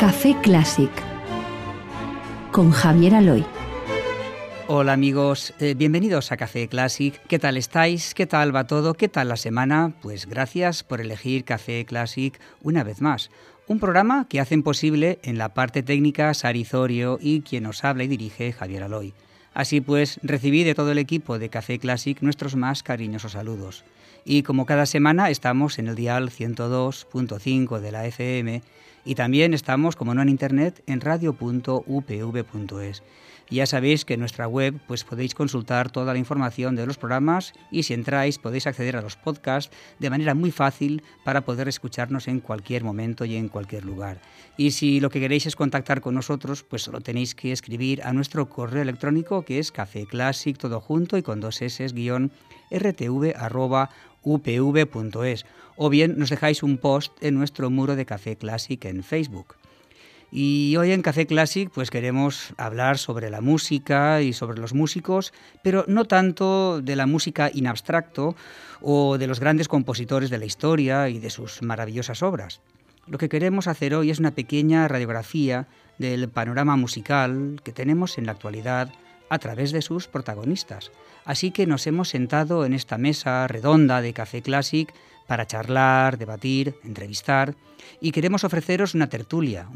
Café Clásic con Javier Aloy. Hola amigos, bienvenidos a Café Clásic. ¿Qué tal estáis? ¿Qué tal va todo? ¿Qué tal la semana? Pues gracias por elegir Café Clásic una vez más. Un programa que hacen posible en la parte técnica Sari Zorio y quien os habla y dirige Javier Aloy. Así pues, recibí de todo el equipo de Café Clásic nuestros más cariñosos saludos. Y como cada semana estamos en el dial 102.5 de la FM y también estamos, como no en internet, en radio.upv.es. Ya sabéis que en nuestra web pues podéis consultar toda la información de los programas y si entráis podéis acceder a los podcasts de manera muy fácil para poder escucharnos en cualquier momento y en cualquier lugar. Y si lo que queréis es contactar con nosotros, pues solo tenéis que escribir a nuestro correo electrónico que es cafeclassic, todo junto y con 2 s, _rtv@upv.es, o bien nos dejáis un post en nuestro muro de Café Clásic en Facebook. Y hoy en Café Clásic pues queremos hablar sobre la música y sobre los músicos, pero no tanto de la música in abstracto o de los grandes compositores de la historia y de sus maravillosas obras. Lo que queremos hacer hoy es una pequeña radiografía del panorama musical que tenemos en la actualidad a través de sus protagonistas. Así que nos hemos sentado en esta mesa redonda de Café Clásic para charlar, debatir, entrevistar, y queremos ofreceros una tertulia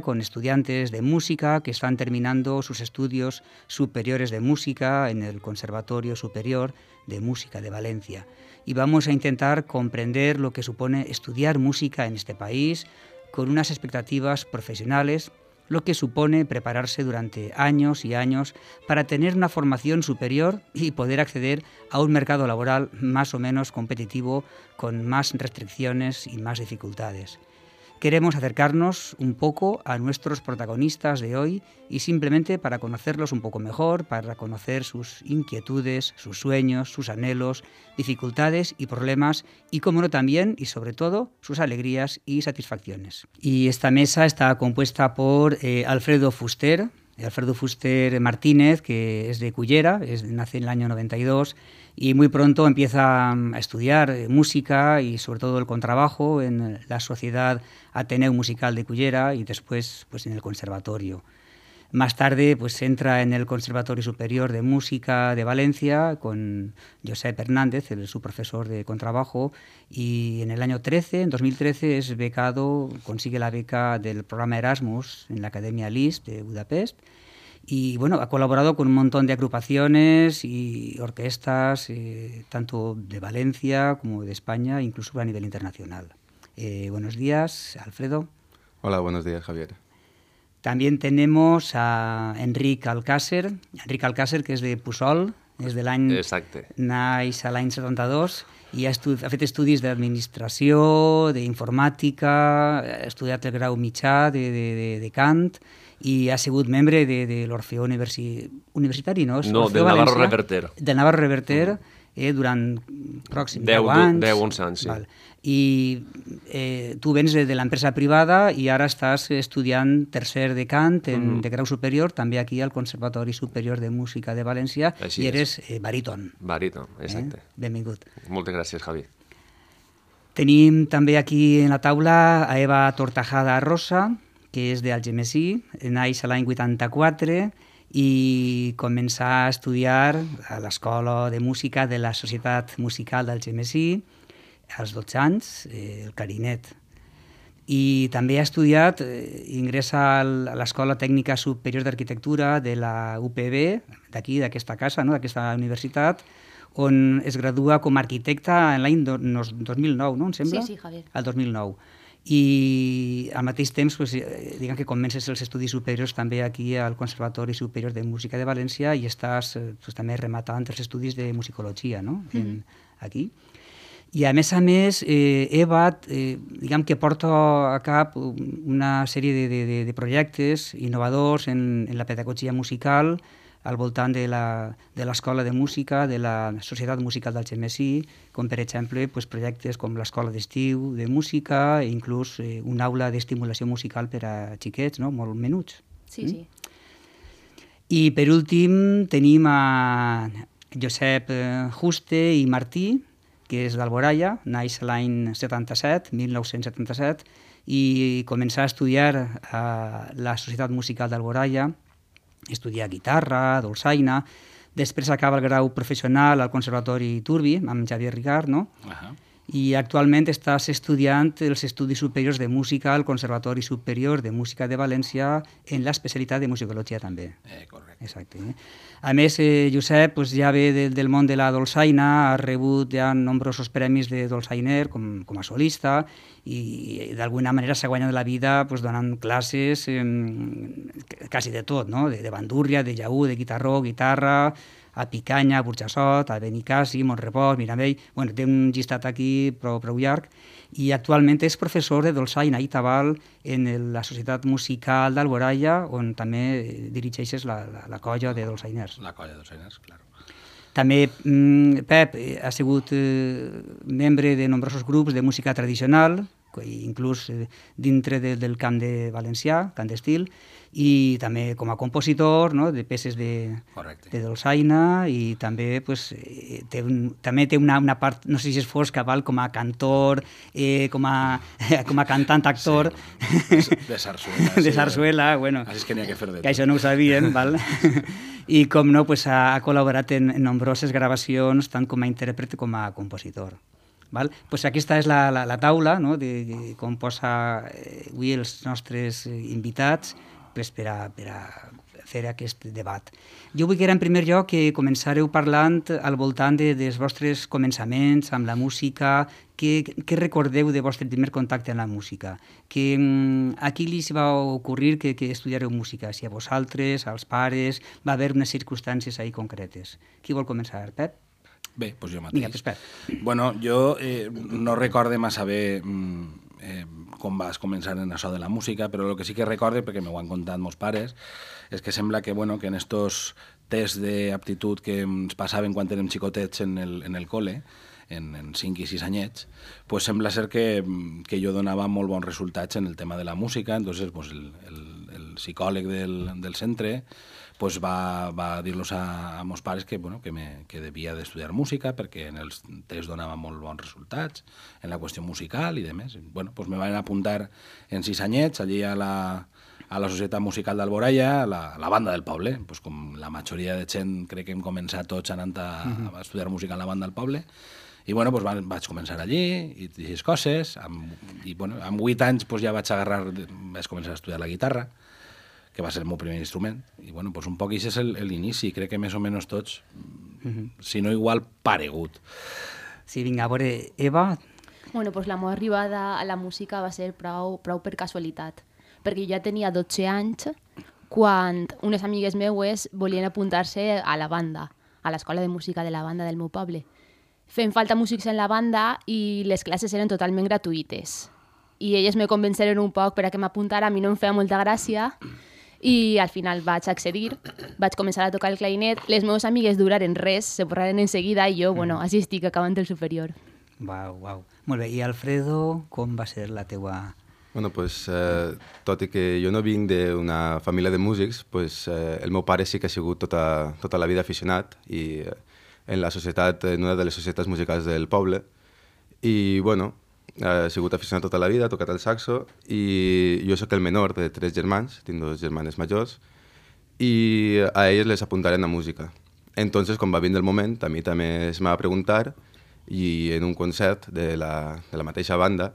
con estudiantes de música que están terminando sus estudios superiores de música en el Conservatorio Superior de Música de Valencia. Y vamos a intentar comprender lo que supone estudiar música en este país con unas expectativas profesionales, lo que supone prepararse durante años y años para tener una formación superior y poder acceder a un mercado laboral más o menos competitivo con más restricciones y más dificultades. Queremos acercarnos un poco a nuestros protagonistas de hoy y simplemente para conocerlos un poco mejor, para conocer sus inquietudes, sus sueños, sus anhelos, dificultades y problemas y, como no, también y sobre todo, sus alegrías y satisfacciones. Y esta mesa está compuesta por Alfredo Fuster Martínez, que es de Cullera, nace en el año 92 y muy pronto empieza a estudiar música y sobre todo el contrabajo en la Sociedad Ateneu Musical de Cullera y después pues en el conservatorio. Más tarde pues entra en el Conservatorio Superior de Música de Valencia con Josep Hernández, su profesor de contrabajo, y en el año 2013 es becado, consigue la beca del programa Erasmus en la Academia Liszt de Budapest. Y bueno, ha colaborado con un montón de agrupaciones y orquestas, tanto de Valencia como de España, incluso a nivel internacional. Buenos días, Alfredo. Hola, buenos días, Javier. También tenemos a Enric Alcácer, que és de Puçol, és de l'any... Exacte. Naix a l'any 72 i ha fet estudis d'administració, d'informàtica, ha estudiat el grau mitjà de cant i ha sigut membre de l'Orfeó Universitari, no? No, del Navarro Reverter. Del Navarro Reverter, durant pròxim 10 anys. 11 anys, sí. Val. I tu vens de l'empresa privada i ara estàs estudiant tercer de cant de grau superior, també aquí al Conservatori Superior de Música de València. Així i eres baríton. Baríton, exacte. Benvingut. Moltes gràcies, Javi. Tenim també aquí en la taula a Eva Tortajada Rosa, que és d'Algemesí, naix l'any 84 i començà a estudiar a l'Escola de Música de la Societat Musical d'Algemesí als 12 anys, el clarinet. I també ha estudiat, ingressa a l'Escola Tècnica Superior d'Arquitectura de la UPV, d'aquí, d'aquesta casa, no? D'aquesta universitat, on es gradua com a arquitecta l'any 2009, no? Em sembla? Sí, Javier. El 2009. I al mateix temps diguem que comences els estudis superiors també aquí al Conservatori Superior de Música de València i estàs també rematant els estudis de musicologia, no? Aquí. I a més, Eva diguem que porta a cap una sèrie de projectes innovadors en la pedagogia musical al voltant de l'Escola de Música, de la Societat Musical d'Algemesí, com per exemple projectes com l'Escola d'Estiu de Música i inclús una aula d'estimulació musical per a xiquets, no? Molt menuts. Sí, sí. I per últim tenim a Josep Juste i Martí, que és d'Alboraya, naix l'any 1977, i començar a estudiar a la Societat Musical d'Alboraya, estudiar guitarra, dolçaina, després acaba el grau professional al Conservatori Turbi, amb Xavier Ricard, no? I actualment estàs estudiant els estudis superiors de música al Conservatori Superior de Música de València en l'especialitat de musicologia també. Correcte. Exacte. A més, Josep ja ve del món de la dolçaina, ha rebut ja nombrosos premis de dolçainer com a solista i d'alguna manera s'ha guanyat la vida donant classes quasi de tot, no? De bandúrria, de llaüt, de guitarró, guitarra, a Picanya, a Burjassot, a Benicàssim, Montrepòs, Miramell... Bueno, té un llistat aquí prou llarg i actualment és professor de dolçaina i tabal en la Societat Musical d'Alboraya, on també dirigeixes la colla de dolçainers. La colla de dolçainers, clar. També Pep ha sigut membre de nombrosos grups de música tradicional, inclús dintre del camp de valencià, cant d'estil, i també com a compositor de peces de dolçaina i també té una part, no sé si és fosca, com a cantor, com a cantant-actor. De sarsuela. De sarsuela, bueno. Així és que n'hi ha que fer de tot. Que això no ho sabíem, val? I com no, ha col·laborat en nombroses gravacions, tant com a intèrpret com a compositor. Aquesta és la taula de com posa avui els nostres invitats per a fer aquest debat. Jo vull que en primer lloc que començareu parlant al voltant dels vostres començaments amb la música, què recordeu de vostre primer contacte amb la música, a qui li va ocorrir que estudiareu música, si a vosaltres, als pares, va haver unes circumstàncies ahí concretes. Qui vol començar, Pep? Bé, doncs jo mateix. Vinga, Pep. Bueno, jo no recorde massa bé com vas començar en això de la música, però el que sí que recorde, perquè m'ho han contat meus pares, és que sembla que en estos tests d'aptitud que ens passaven quan érem xicotets en el col·le, en 5 i 6 anyets, sembla ser que jo donava molt bons resultats en el tema de la música. Entonces el psicòleg del centre va dir-los a meus pares que devia d'estudiar música perquè en els tests donava molt bons resultats en la qüestió musical i demés. Me van apuntar en 6 anyets allí a la Societat Musical d'Alboraya, a la banda del poble. Com la majoria de gent crec que hem començat tots anant a estudiar música en la banda del poble. I vaig començar allí i aquestes coses. I amb 8 anys ja vaig començar a estudiar la guitarra, que va ser el meu primer instrument. I un poc això és l'inici. Crec que més o menys tots, si no igual, paregut. Sí, vinga, a veure, Eva... La meva arribada a la música va ser prou per casualitat, perquè jo ja tenia 12 anys quan unes amigues meues volien apuntar-se a la banda, a l'escola de música de la banda del meu poble. Fem falta músics en la banda i les classes eren totalment gratuïtes. I elles me convenceren un poc per a que m'apuntara, a mi no em feia molta gràcia, i al final vaig accedir, vaig començar a tocar el clarinet, les meves amigues duraren res, se borraren en seguida i jo, així estic acabant el superior. Uau. Molt bé, i Alfredo, com va ser la teua... Tot i que jo no vinc d'una família de músics, el meu pare sí que ha sigut tota la vida aficionat i en una de les societats musicals del poble i, ha sigut aficionat tota la vida, ha tocat el saxo i jo sóc el menor de 3 germans, tinc 2 germanes majors i a ells les apuntaren a música. Entonces, quan va vindre el moment, a mi també es m'ha preguntar i en un concert de la mateixa banda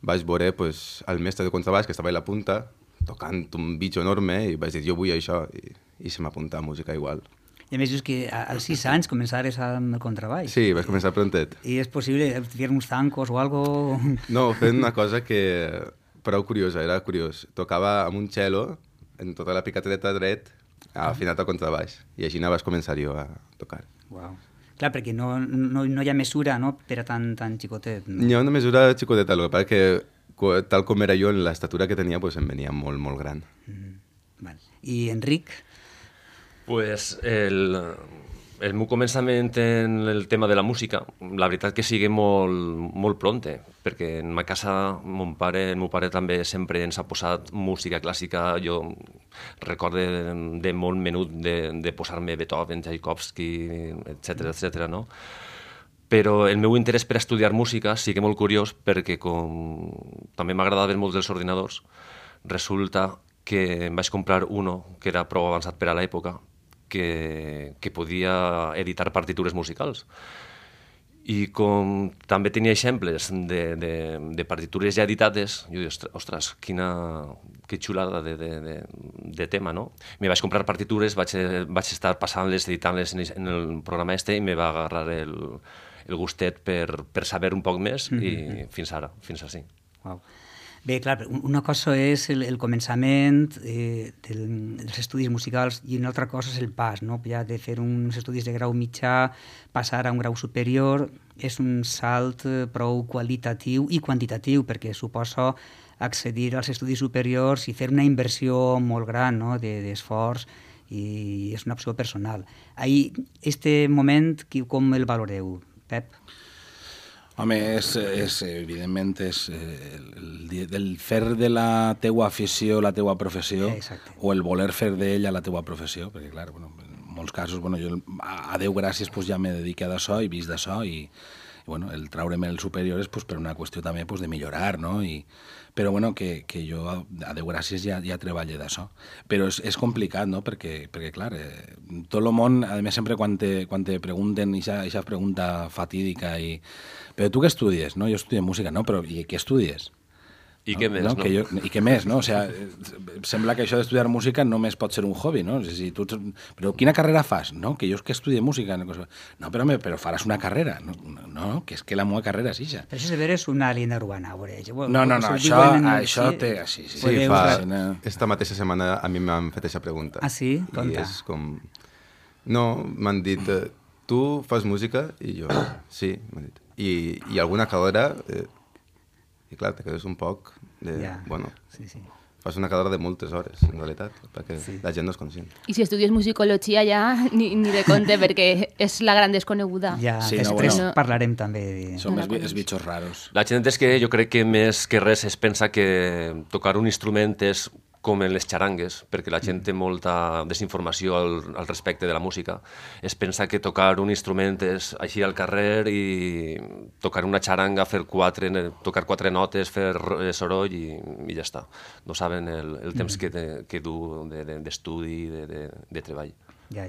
vaig veure el mestre de contrabaix que estava a la punta tocant un bitxo enorme i vaig dir, jo vull això i se m'apunta a música igual. I a més, és que als 6 anys començares amb el contrabaix. Sí, vaig començar prontet. I és possible fer uns tancos o algo? No, fent una cosa que prou curiosa, era curiós. Tocava amb un cello en tota la picateta dret afinat al contrabaix i així vaig començar jo a tocar. Uau. Clar, perquè no hi ha mesura per a tan xicotet. No? Hi ha una mesura xicoteta, el que passa que tal com era jo en l'estatura que tenia em venia molt, molt gran. I Enric? El meu començament en el tema de la música, la veritat que sigui molt pronte, perquè en ma casa el meu pare també sempre ens ha posat música clàssica. Jo recorde de molt menut de posar-me Beethoven, Tchaikovsky, etc., no? Però el meu interès per estudiar música sí que molt curiós, perquè com també m'agradaven molt els ordinadors, resulta que em vaig comprar uno que era prou avançat per a l'època, que podia editar partitures musicals. I com també tenia exemples de partitures ja editades, jo dic, ostres, que xulada de tema, no? Me vaig comprar partitures, vaig estar passant-les, editant-les en el programa i me va agarrar el gustet per saber un poc més i fins ara, fins així. Wow. Bé, clar, una cosa és el començament dels estudis musicals i una altra cosa és el pas, no? Ja de fer uns estudis de grau mitjà, passar a un grau superior, és un salt prou qualitatiu i quantitatiu, perquè suposa accedir als estudis superiors i fer una inversió molt gran, no? d'esforç, i és una opció personal. Ahir, este moment, com el valoreu, Pep? Home, evidentment, és el fer de la teua afició la teua professió, o el voler fer d'ella la teua professió, perquè, clar, bueno, en molts casos, bueno, jo, a Déu gràcies, pues, ja m'he dedicat d'això i vist d'això, i bueno, el traure'm el superior és pues, per una qüestió també pues, de millorar, no? Però bueno, que jo, a Déu gràcies, ja treballo d'això. Però és complicat, no? Perquè clar, tot el món, a més, sempre quan te pregunten, aquesta pregunta fatídica, però tu què estudies? No? Jo estudio música, no? Però i què estudies? I què més, no? I què més, no? O sigui, sembla que això d'estudiar música només pot ser un hobby, no? Però quina carrera fas? No, que jo és que estudie música. No, però faràs una carrera. No, que és que la meva carrera és això. Però això de veure és una leyenda urbana. No, això té... Sí, esta mateixa setmana a mi m'han fet aquesta pregunta. Ah, sí? I és com... No, m'han dit, tu fas música? I jo, sí, m'han dit. I alguna carrera... I clar, te quedes un poc de... Bueno, fas una carrera de moltes hores, en realitat, perquè la gent no és conscient. I si estudies musicologia ja, ni de compte, perquè és la gran desconeguda. Ja, després parlarem també. Som els bitxos raros. La gent és que jo crec que més que res es pensa que tocar un instrument és com en les xarangues, perquè la gent té molta desinformació al respecte de la música. Es pensa que tocar un instrument és així al carrer i tocar una xaranga, tocar 4 notes, fer soroll i ja està. No saben el temps que du d'estudi, de treball. Ja.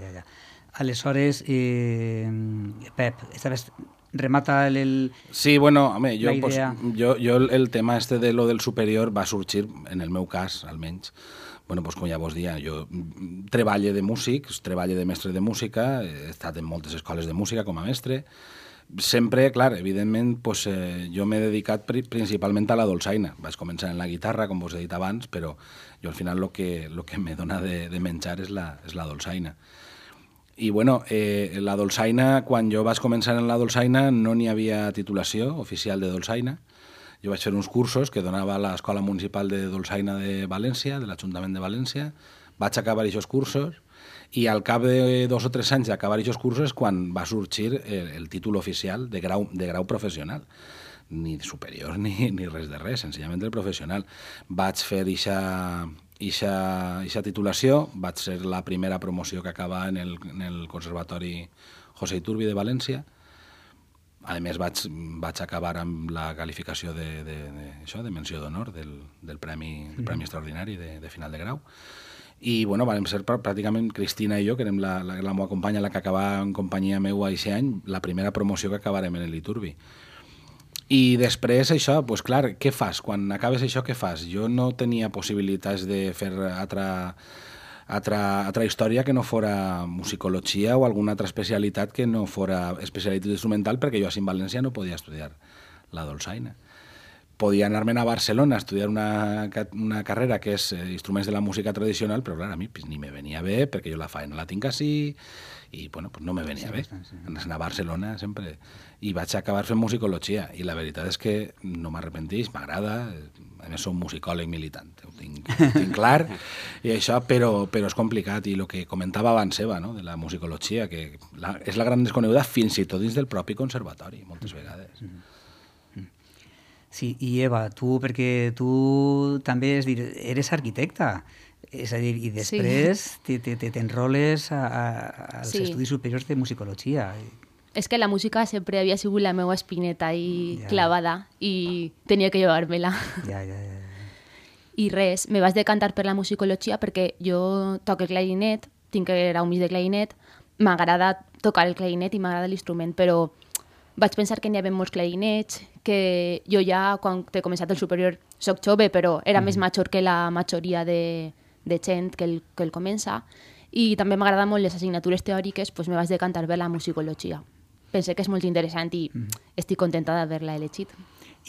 Aleshores, Pep, estaves... remata el... Sí, bueno, home, jo el tema de lo del superior va sorgir, en el meu cas, almenys, bueno, pues, com ja vos dia, jo treballo de músic, treballo de mestre de música, he estat en moltes escoles de música com a mestre, sempre, clar, evidentment, pues, jo m'he dedicat principalment a la dolçaina. Vaig començar en la guitarra, com vos he dit abans, però jo al final el que me dona de menjar és la dolçaina. I bueno, la dolçaina, quan jo vaig començar en la dolçaina no n'hi havia titulació oficial de dolçaina. Jo vaig fer uns cursos que donava l'Escola Municipal de Dolçaina de València, de l'Ajuntament de València. Vaig acabar aquests cursos i al cap de 2 o 3 anys d'acabar aquests cursos quan va sorgir el títol oficial de grau professional. Ni superior ni res de res, senzillament el professional. Vaig fer Ixa titulació, vaig ser la primera promoció que acaba en el Conservatori José Iturbi de València. A més, vaig acabar amb la qualificació de menció d'honor del Premi Extraordinari de final de grau. I, bueno, vam ser pràcticament Cristina i jo, que érem la meva companya, la que acabava en companyia meua aquest any, la primera promoció que acabarem en l'Iturbi. I després això, doncs clar, què fas? Quan acabes això, què fas? Jo no tenia possibilitats de fer altra història que no fora musicologia o alguna altra especialitat que no fora especialitat instrumental, perquè jo a València no podia estudiar la dolçaina. Podia anar-me'n a Barcelona a estudiar una carrera que és instruments de la música tradicional, però clar, a mi ni me venia bé, perquè jo la faena la tinc així, i bueno, pues no me venia bé. Anar a Barcelona sempre... I vaig acabar fent musicologia, i la veritat és que no m'arrepentís, m'agrada, a més som musicòleg militant, ho tinc clar, i això, però és complicat, i el que comentava abans Eva, no?, de la musicologia, que és la gran desconeguda fins i tot dins del propi conservatori, moltes vegades. Sí, i Eva, perquè tu també eres arquitecta, és a dir, i després t'enroles als estudis superiors de musicologia. És que la música sempre havia sigut la meva espineta i clavada i tenia que llevar-me-la. Ja. I res, me vaig decantar per la musicologia perquè jo toco el clarinet, tinc grau mig de clarinet, m'agrada tocar el clarinet i m'agrada l'instrument, però vaig pensar que n'hi havia molts clarinets, que jo ja, quan he començat el superior, soc jove, però era més major que la majoria de gent que el comença, i també m'agrada molt les assignatures teòriques, doncs me vaig decantar per la musicologia. Pensé que és molt interessant i estic contenta d'haver-la elegit.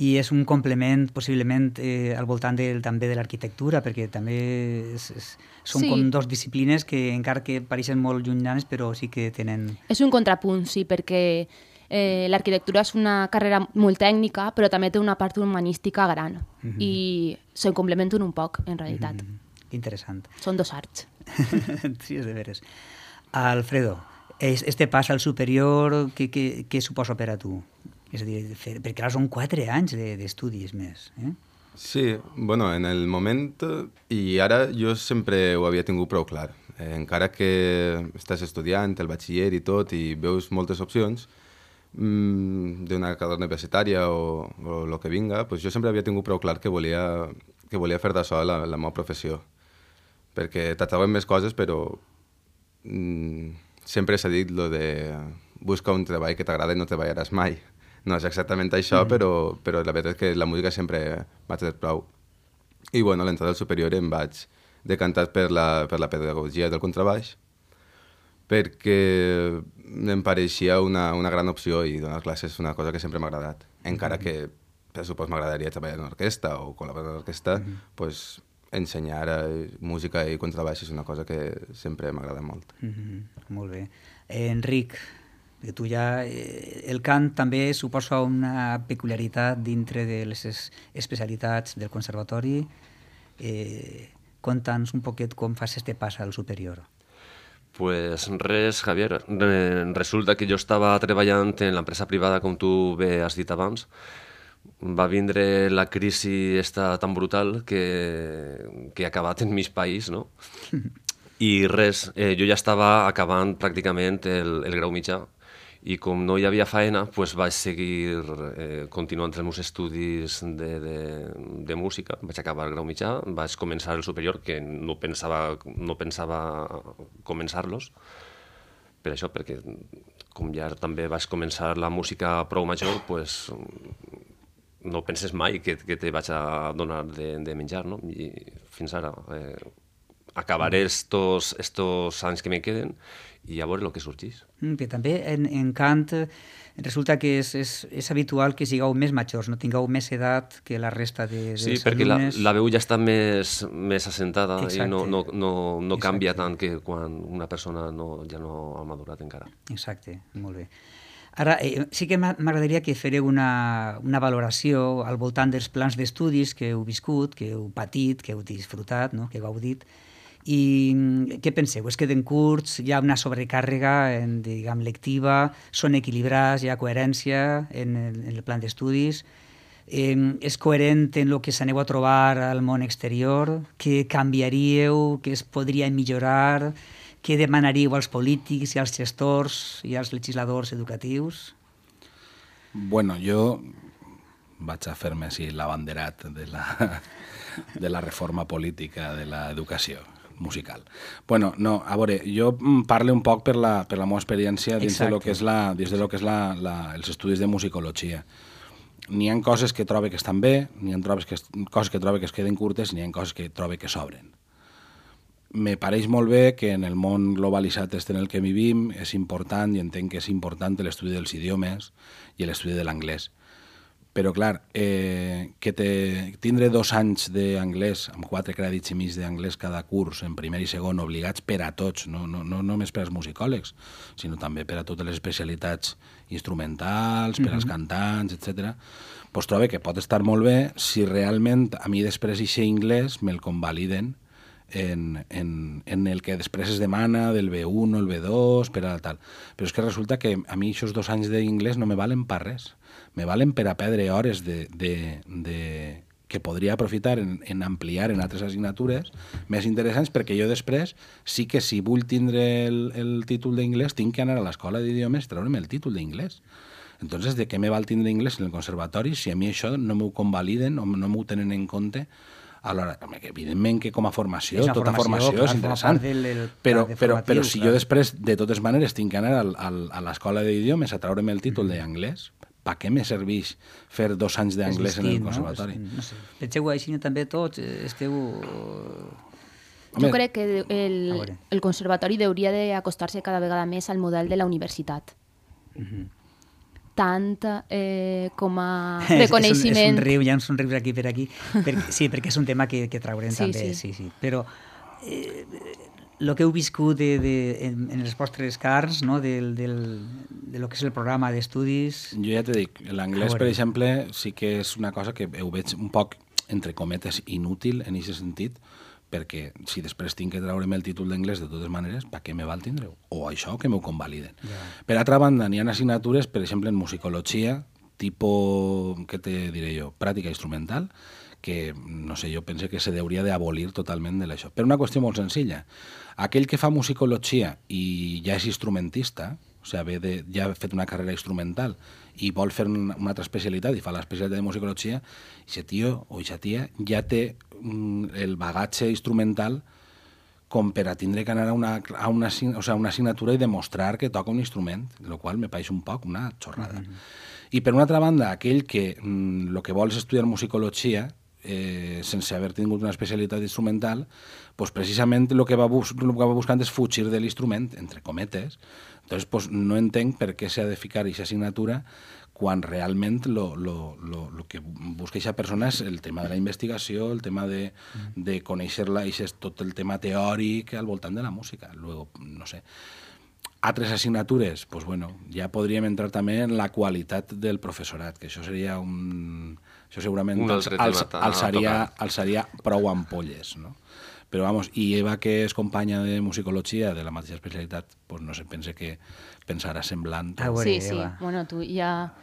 I és un complement, possiblement, al voltant també de l'arquitectura, perquè també són com dos disciplines que, encara que pareixen molt llunyanes, però sí que tenen... És un contrapunt, sí, perquè l'arquitectura és una carrera molt tècnica, però també té una part humanística gran, i se'n complementen un poc, en realitat. Interessant. Són dos arts. Sí, és de veres. Alfredo, este pas al superior, què suposa per a tu? És a dir, perquè ara són 4 anys d'estudis més. Sí, bueno, en el moment, i ara jo sempre ho havia tingut prou clar. Encara que estàs estudiant el batxiller i tot, i veus moltes opcions d'una carrera universitària o el que vinga, doncs jo sempre havia tingut prou clar que volia fer d'això la meva professió. Perquè t'atrauen més coses, però sempre s'ha dit lo de busca un treball que t'agrada i no treballaràs mai. No és exactament això, però la veritat és que la música sempre m'ha tret prou. I bueno, a l'entrada al superior em vaig decantar per la pedagogia del contrabaix, perquè em pareixia una gran opció i donar classes és una cosa que sempre m'ha agradat. Encara que, per supost, m'agradaria treballar en una orquestra o col·laborar en una orquestra, doncs ensenyar música i contrabaix és una cosa que sempre m'agrada molt. Molt bé. Enric, tu ja... El cant també suposa una peculiaritat dintre de les especialitats del conservatori. Conta'ns un poquet com fas este pas al superior. Pues res, Javier. Resulta que jo estava treballant en l'empresa privada, com tu bé has dit abans. Va vindre la crisi esta tan brutal que ha acabat en mig país, no? I res, jo ja estava acabant pràcticament el grau mitjà i com no hi havia faena, pues vaig seguir continuant els meus estudis de música. Vaig acabar el grau mitjà, vaig començar el superior, que no pensava començar-los, per això, perquè com ja també vaig començar la música prou major, pues no penses mai que te vaig a donar de menjar, no? I fins ara acabaré estos anys que me queden i a veure el que sorgeix. Que també en cant resulta que és habitual que sigueu més majors, no tingueu més edat que la resta dels alumnes. Sí, perquè la veu ja està més assentada. Exacte. I no canvia tant que quan una persona ja no ha madurat encara. Exacte, molt bé. Ara, sí que m'agradaria que fareu una valoració al voltant dels plans d'estudis que heu viscut, que heu patit, que heu disfrutat, no? Que heu gaudit. I què penseu? Es queden curts? Hi ha una sobrecàrrega lectiva? Són equilibrats? Hi ha coherència en el plan d'estudis? És coherent en el que s'aneu a trobar al món exterior? Què canviaríeu? Què es podria millorar? Què demanaríeu als polítics i als gestors i als legisladors educatius? Bueno, jo vaig a fer-me així l'abanderat de la reforma política de l'educació musical. Bueno, no, a veure, jo parlo un poc per la meva experiència dins de lo que és els estudis de musicologia. N'hi ha coses que trobo que estan bé, n'hi ha coses que trobo que es queden curtes, n'hi ha coses que trobo que sobren. Me pareix molt bé que en el món globalitzat en el que vivim és important, i entenc que és important l'estudi dels idiomes i l'estudi de l'anglès. Però, clar, tindre 2 anys d'anglès, amb 4 crèdits i mig d'anglès cada curs, en primer i segon, obligats per a tots, no només per als musicòlegs, sinó també per a totes les especialitats instrumentals, per als cantants, etc. Doncs trobo que pot estar molt bé si realment a mi després aquest anglès me'l convaliden en el que després es demana del B1 o el B2, per a tal. Però és que resulta que a mi aquests 2 anys d'inglès no me valen per res. Me valen per a perdre hores que podria aprofitar en ampliar en altres assignatures més interessants, perquè jo després sí que si vull tindre el títol d'inglès tinc que anar a l'escola d'idiomes i treure'm el títol d'inglès. Entonces, ¿de què me val tindre inglès en el conservatori si a mi això no m'ho convaliden o no m'ho tenen en compte? Alhora, evidentment que com a formació, tota formació és interessant, però si jo després, de totes maneres, tinc que anar a l'escola d'idiomes a treure'm el títol d'anglès, per què me serveix fer 2 anys d'anglès en el conservatori? No sé. Penseu així també tots, esteu... Jo crec que el conservatori hauria d'acostar-se cada vegada més al model de la universitat. Tant com a reconeixement... És un riu, hi ha uns somrius aquí per aquí. Sí, perquè és un tema que traurem també. Sí. Però el que heu viscut en les vostres carns, no? de lo que és el programa d'estudis... Jo ja t'he dit, l'anglès, per exemple, sí que és una cosa que ho veig un poc, entre cometes, inútil en aquest sentit, perquè si després tinc que treure'm el títol d'anglès de totes maneres, per què me val tindre-ho? O això que m'ho convaliden. Yeah. Per altra banda, n'hi ha assignatures, per exemple, en musicologia, tipus, què te diré jo, pràctica instrumental, que, no sé, jo penso que se hauria d'abolir totalment de això. Per una qüestió molt senzilla. Aquell que fa musicologia i ja és instrumentista, o sigui, ja ha fet una carrera instrumental i vol fer una altra especialitat i fa l'especialitat de musicologia, aquest tio o aquesta tia ja té el bagatge instrumental com per a tindre que anar a una assignatura i demostrar que toca un instrument, el qual me pareix un poc una xorrada. I per una altra banda, aquell que el que vol és estudiar musicologia sense haver tingut una especialitat instrumental, pues precisament el que va buscant és fugir de l'instrument, entre cometes. Entonces, pues, no entenc per què s'ha de ficar aquesta assignatura quan realment el que busca aquesta persona és el tema de la investigació, el tema de conèixer-la, i és tot el tema teòric al voltant de la música. Luego, no sé, altres assignatures, pues bueno, ja podríem entrar també en la qualitat del professorat, que això seria això segurament alçaria prou ampolles, no? Però, vamos, i Eva, que és companya de musicologia de la mateixa especialitat, pues no sé, pense que pensarà semblant. Sí. Bueno, tu ja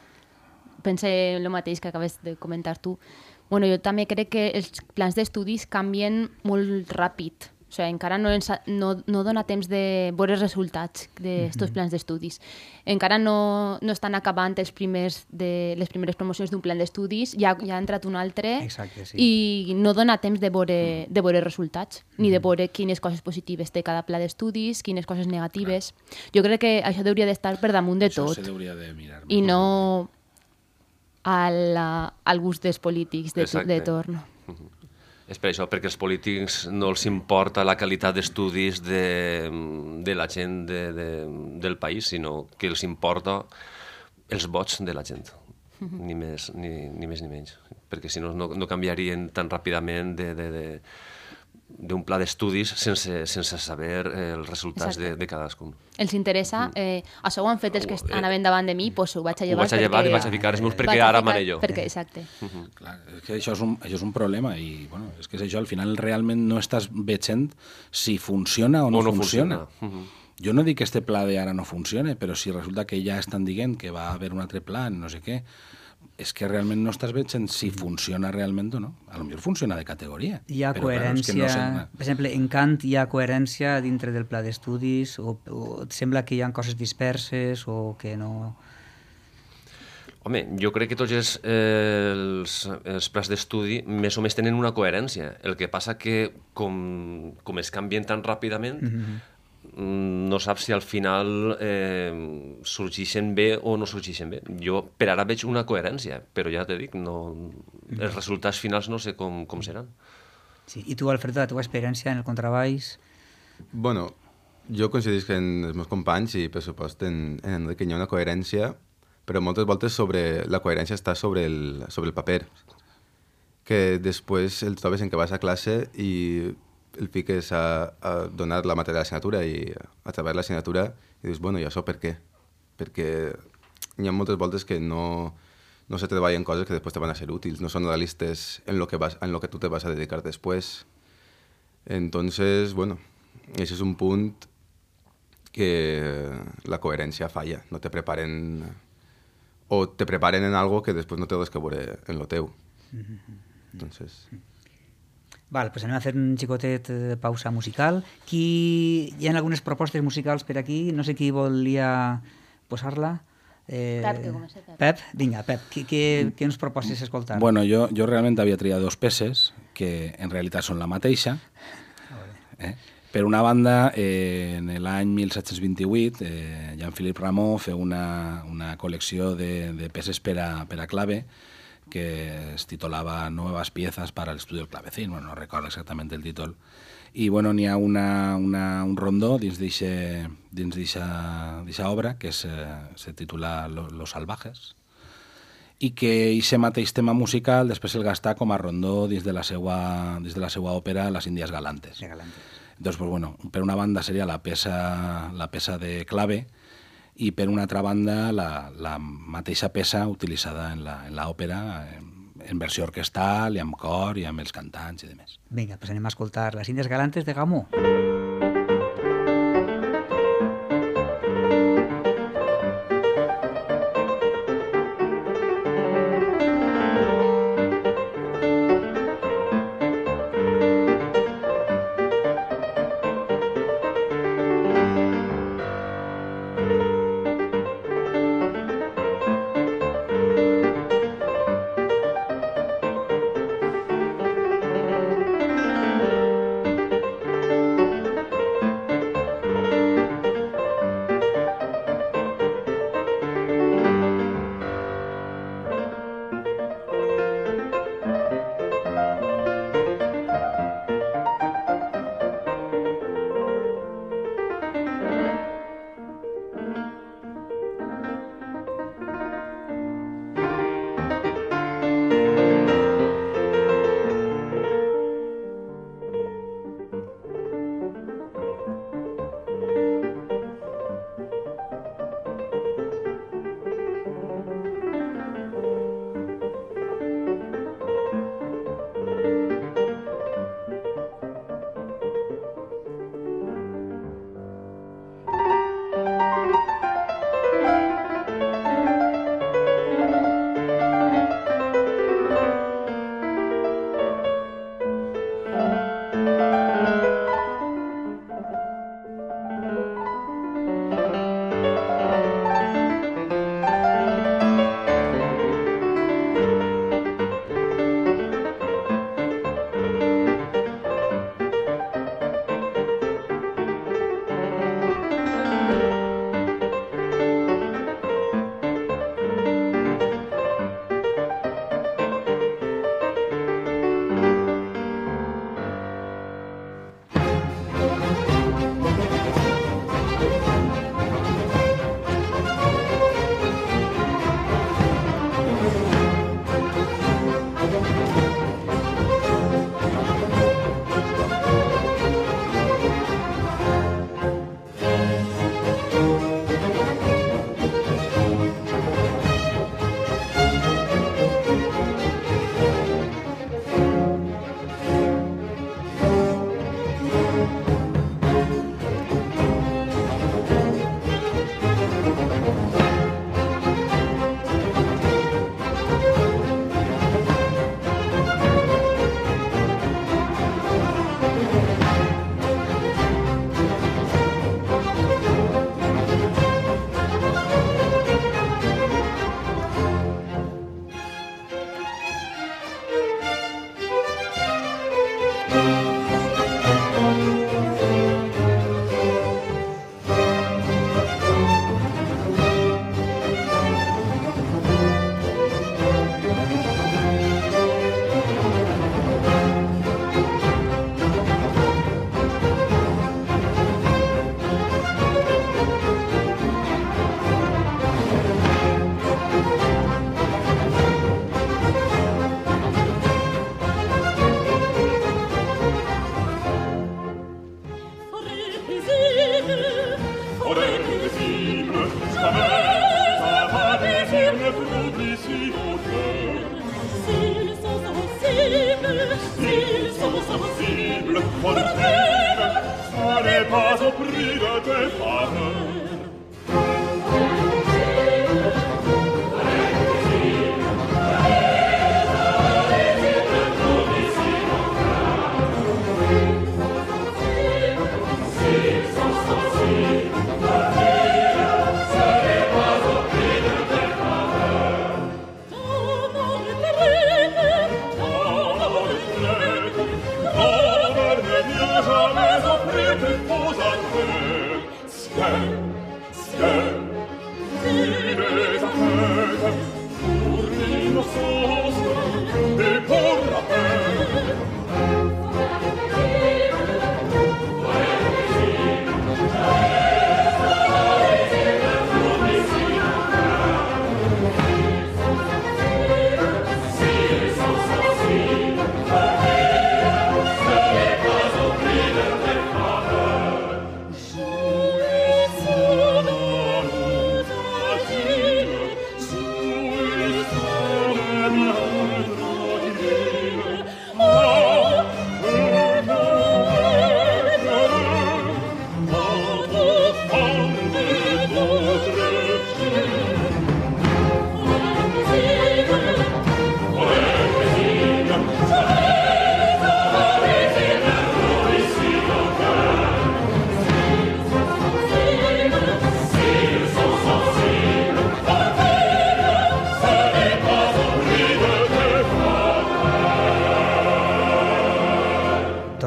pense el mateix que acabes de comentar tu. Bueno, jo també crec que els plans d'estudis canvien molt ràpid. O sigui, encara no dona temps de veure els resultats d'aquests plans d'estudis. Encara no estan acabant les primeres promocions d'un plan d'estudis, ja ha entrat un altre. Exacte, sí. I no dona temps de veure resultats, ni de veure quines coses positives té cada pla d'estudis, quines coses negatives. Jo crec que això hauria d'estar per damunt de tot. Això s'hauria de mirar. I no al gust dels polítics de torn. És per això, perquè els polítics no els importa la qualitat d'estudis de la gent del país, sinó que els importa els vots de la gent, ni més ni menys. Perquè si no, no canviarien tan ràpidament d'un pla d'estudis sense saber els resultats de cadascun. Els interessa, això ho han fet els que anaven davant de mi, doncs ho vaig a llevar. Ho vaig a llevar i vaig a ficar els meus perquè ara mané jo. Exacte. Clar, és que això és un problema i bueno, és que és això, al final realment no estàs veient si funciona o no funciona. Jo no dic que este pla d'ara no funcione, però si resulta que ja estan dient que va haver un altre pla, no sé què, és que realment no estàs veient si funciona realment o no. A lo millor funciona de categoria. Hi ha coherència, per exemple, en Kant hi ha coherència dintre del pla d'estudis o et sembla que hi ha coses disperses o que no... Home, jo crec que tots els plans d'estudi més o més tenen una coherència. El que passa que com es canvien tan ràpidament, no saps si al final sorgeixen bé o no sorgeixen bé. Jo per ara veig una coherència, però ja t'he dit, els resultats finals no sé com seran. Sí. I tu, Alfredo, la teva experiència en el contrabaix? Bueno, jo coincidisc en els meus companys i, per supost, en que hi ha una coherència, però moltes voltes la coherència està sobre el paper, que després el trobes en què vas a classe i el fiques a donar la matèria de l'assignatura i a través de l'assignatura i dius, bueno, i això per què? Perquè hi ha moltes voltes que no se treballen coses que després te van a ser útils, no són realistes en lo que tu te vas a dedicar després. Entonces, bueno, ese es un punt que la coherència falla, no te preparen o te preparen en algo que després no té res que veure en lo teu. Entonces... Val, doncs anem a fer un xicotet pausa musical. Hi ha algunes propostes musicals per aquí, no sé qui volia posar-la. Pep, que comença Pep. Pep, vinga, Pep, què ens proposes escoltar? Bueno, jo realment havia triat dos peces que en realitat són la mateixa. Per una banda, en l'any 1728, Jean-Philippe Rameau feu una col·lecció de peces per a clave que es titulava Nuevas piezas para el estudio del clavecín, bueno, no recordo exactament el títol, i bueno, n'hi ha un rondó dins d'eixa obra que se titula Los salvajes, i que aquest mateix tema musical després el gasta com a rondó dins de la seva òpera Las Indias Galantes. Doncs, pues, bueno, per una banda seria la peça de clave, i per una altra banda la mateixa peça utilitzada en l'òpera en versió orquestal i amb cor i amb els cantants i demés. Vinga, doncs anem a escoltar Las Indias Galantes de Rameau.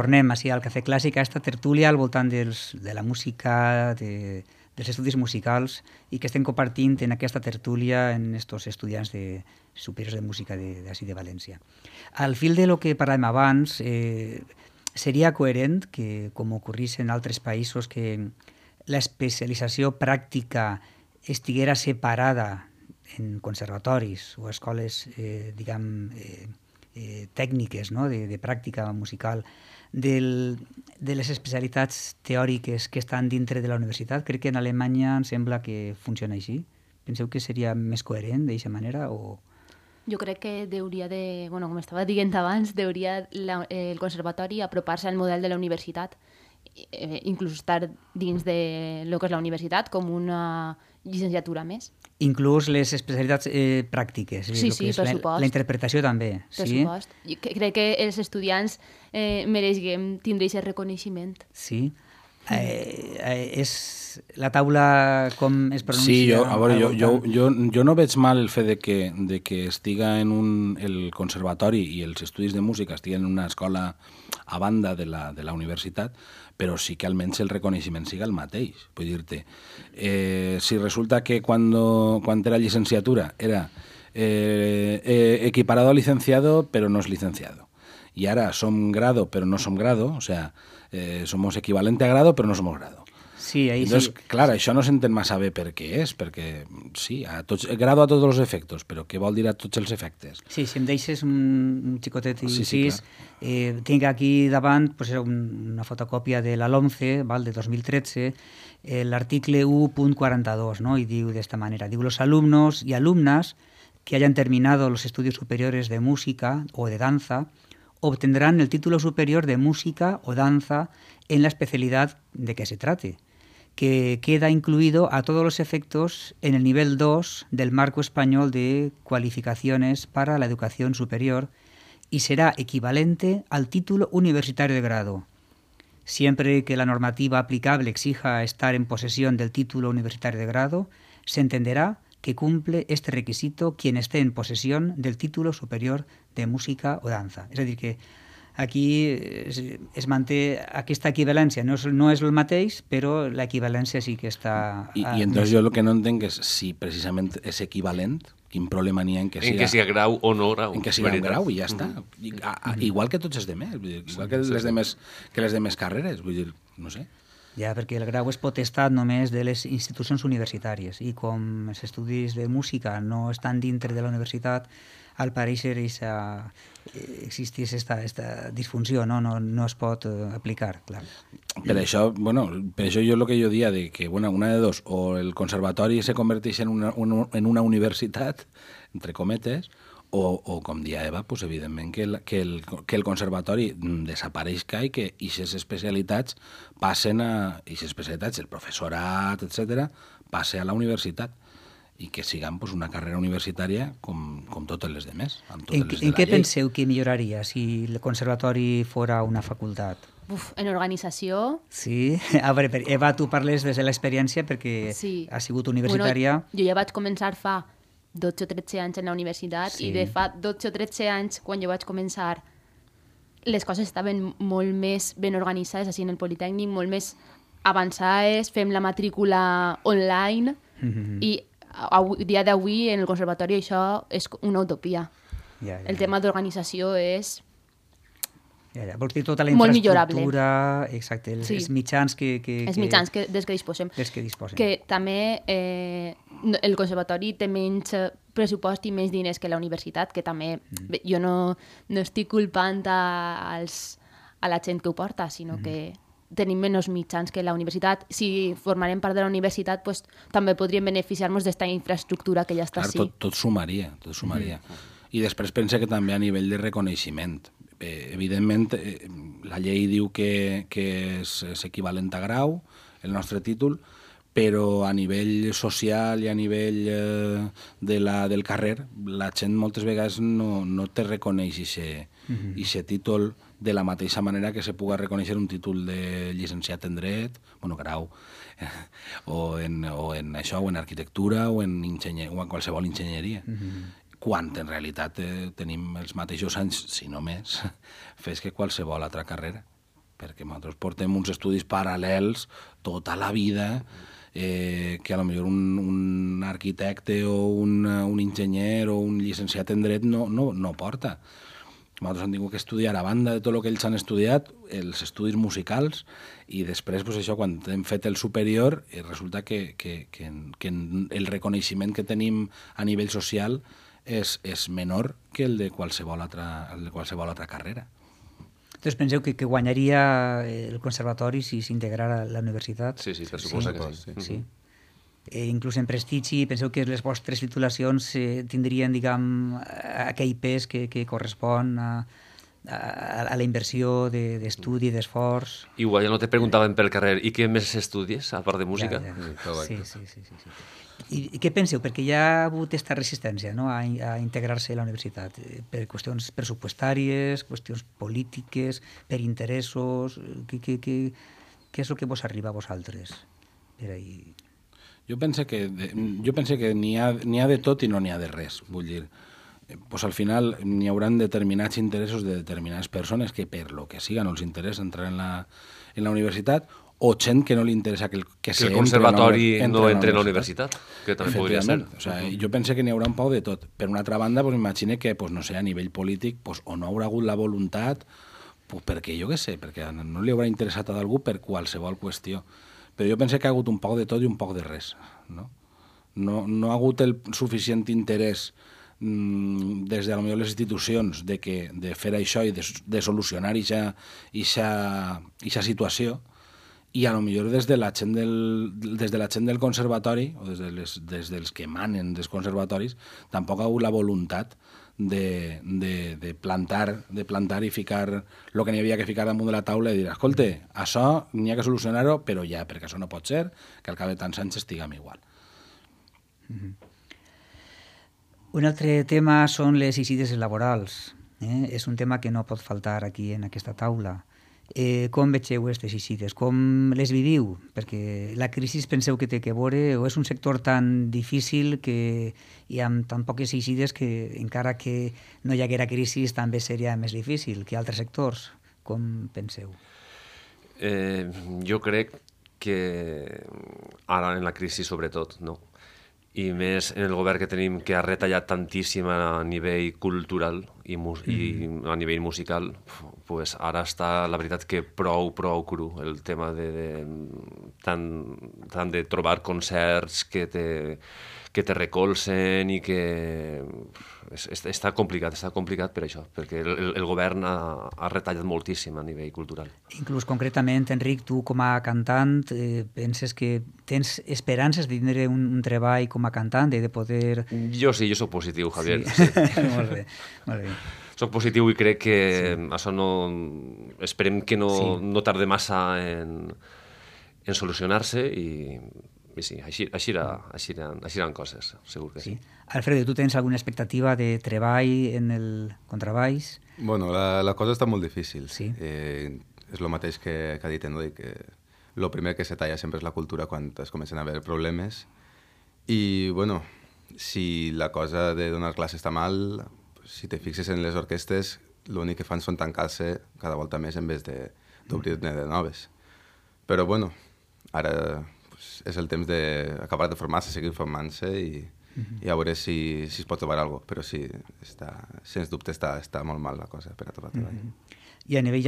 tornem així al Cafè Clàssic, a esta tertúlia al voltant de la música, dels estudis musicals, i que estem compartint en aquesta tertúlia en estos estudiants superiors de música d'ací de València. Al fil de lo que parlàvem abans, seria coherent que, com ocorrís en altres països, que l'especialització pràctica estiguera separada en conservatoris o escoles, tècniques, no? de pràctica musical, de les especialitats teòriques que estan dintre de la universitat. Crec que en Alemanya em sembla que funciona així. Penseu que seria més coherent d'aquesta manera? O... Jo crec que hauria de, com estava dient abans, hauria el conservatori apropar-se al model de la universitat, inclús estar dins de lo que és la universitat com una llicenciatura més. Inclús les especialitats pràctiques. Sí, per supost. La interpretació també. Per supost. Crec que els estudiants mereixem tindre aquest reconeixement. Sí. És la taula com es pronuncia? Sí, jo no veig mal el fet de que estiga en el conservatori i els estudis de música estiguen en una escola a banda de la universitat, però sí que almenys el reconeixement siga el mateix. Vull dir-te, si resulta que quan era llicenciatura era equiparado a licenciado, però no és licenciado, y ahora som grado, pero no som grado, o sea, somos equivalente a grado, pero no somos grado. Sí, ahí Entonces, sí. Clar, això no s'entén massa bé per què és, perquè sí, grado a tots els efectes, però què vol dir a tots els efectes? Sí, si em deixes un xicotet incís, sí, tinc aquí davant pues, una fotocòpia de la LOMCE, de 2013, l'article 1.42, ¿no? Y diu d'esta manera, diu, los alumnos y alumnas que hayan terminado los estudios superiores de música o de danza obtendrán el título superior de música o danza en la especialidad de que se trate, que queda incluido a todos los efectos en el nivel 2 del Marco Español de Cualificaciones para la Educación Superior y será equivalente al título universitario de grado. Siempre que la normativa aplicable exija estar en posesión del título universitario de grado, se entenderá que cumple este requisito quien esté en posesión del título superior de música o danza. És a dir, que aquí es manté aquesta equivalència. No és el mateix, però l'equivalència sí que està... I entonces jo el que no entenc és si precisament és equivalent, quin problema n'hi ha en que siga grau o no grau. En que siga un grau i ja està. Igual que tots els demés, igual que les demés carreres, vull dir, no sé. Ja, perquè el grau és potestat només de les institucions universitàries i com els estudis de música no estan dintre de la universitat, al pareixer existís esta disfunció, no es pot aplicar, clar. Per això jo el que jo dia de que una de dos, o el conservatori se converteix en una universitat, entre cometes, o com dia Eva, pues, evidentment que el conservatori desapareixca i que aquestes especialitats passen a... aquestes especialitats, el professorat, etc., passe a la universitat i que siguin pues, una carrera universitària com totes les demés. En què penseu que milloraria si el conservatori fora una facultat? En organització... Sí? A veure, Eva, tu parles des de l'experiència perquè has sigut universitària. Jo ja vaig començar fa 12 o 13 anys en la universitat i de fa 12 o 13 anys, quan jo vaig començar, les coses estaven molt més ben organitzades així en el Politécnic, molt més avançades, fem la matrícula online i a dia d'avui en el conservatori això és una utopia. El tema d'organització és... Vols dir tota la molt millorable. Infraestructura, exacte, els mitjans els mitjans dels que disposem. Que també el conservatori té menys pressupost i menys diners que la universitat, que també jo no estic culpant a la gent que ho porta, sinó que tenim menys mitjans que la universitat. Si formarem part de la universitat, pues, també podríem beneficiar-nos d'esta infraestructura que ja està així. Tot sumaria. I després pense que també a nivell de reconeixement. Evidentment, la llei diu que és equivalent a grau, el nostre títol, però a nivell social i a nivell del carrer, la gent moltes vegades no te reconeix aquest títol de la mateixa manera que se puga reconèixer un títol de llicenciat en dret, grau, o en això, o en arquitectura, o en qualsevol enginyeria. Quan en realitat tenim els mateixos anys, si no més, fes que qualsevol altra carrera. perquè nosaltres portem uns estudis paral·lels tota la vida que a lo millor un arquitecte o un enginyer o un llicenciat en dret no porta. Nosaltres hem tingut que estudiar, a banda de tot el que ells han estudiat, els estudis musicals, i després, pues això, quan hem fet el superior, resulta que el reconeixement que tenim a nivell social és menor que el de qualsevol altra carrera. Entonces penseu que guanyaria el conservatori si s'integrara a la universitat? Sí, per suposa que sí. Sí. Inclús en prestigi, penseu que les vostres titulacions tindrien, diguem, aquell pes que correspon a la inversió d'estudi, d'esforç. Igual ja no te preguntaven pel carrer, i què més estudies, a part de música? Sí. I què penseu? Perquè hi ha hagut aquesta resistència, no?, a integrar-se a la universitat, per qüestions pressupostàries, qüestions polítiques, per interessos. Què és el que vos arriba a vosaltres per ahir? Jo pense que n'hi ha de tot i no n'hi ha de res, vull dir. Pues al final n'hi haurà determinats interessos de determinades persones que per lo que siga no els interessa entrar en la universitat, o gent que no li interessa que el conservatori no entre en la universitat, que també podria ser. O sea, jo pense que n'hi haurà un poc de tot. Per una altra banda, pues, imagine que no sé, a nivell polític pues, o no haurà hagut la voluntat, pues, perquè jo què sé, perquè no li haurà interessat a algú per qualsevol qüestió. Però jo pense que ha hagut un poc de tot i un poc de res. No ha hagut el suficient interès des de les institucions de fer això i de solucionar aquesta situació, i a lo millor des de la gent del conservatori o des dels que manen dels conservatoris tampoc ha hagut la voluntat de plantar i ficar el que n'hi havia que ficar damunt de la taula i dir, escolta, això n'hi ha que solucionar-ho, però ja, perquè això no pot ser que al cap de tants anys estiguem igual. Un altre tema són les eixides laborals. És un tema que no pot faltar aquí en aquesta taula. Com vegeu aquestes eixides? Com les viviu? Perquè la crisi penseu que té que veure, o és un sector tan difícil i amb tan poques eixides que encara que no hi haguera crisi també seria més difícil que altres sectors? Com penseu? Jo crec que ara en la crisi sobretot, no? I més en el govern que tenim, que ha retallat tantíssim a nivell cultural i a nivell musical, pues ara està, la veritat, que prou cru el tema tant de trobar concerts que te recolzen i que està complicat per això, perquè el govern ha retallat moltíssim a nivell cultural. Inclús concretament, Enric, tu com a cantant penses que tens esperances de tindre un treball com a cantant, de poder... Jo sí, jo soc positiu, Javier. Sí. Molt bé. Soc positiu i crec que això no... Esperem que no tarde massa en solucionar-se i sí, així eren coses, segur que sí. Alfredo, tu tens alguna expectativa de treball en el contrabaix? Bueno, la cosa està molt difícil. Sí. És el mateix que ha dit Enric, que el primer que se talla sempre és la cultura quan es comencen a haver problemes. I, bueno, si la cosa de donar classe està mal, si te fixes en les orquestes, l'únic que fan són tancar-se cada volta més en vez d'obrir-ne de noves. Però, bueno, ara és el temps d'acabar de formar-se, seguir formant-se i a veure si es pot trobar alguna cosa. Però sí, sens dubte està molt mal la cosa per a trobar treball. I a nivell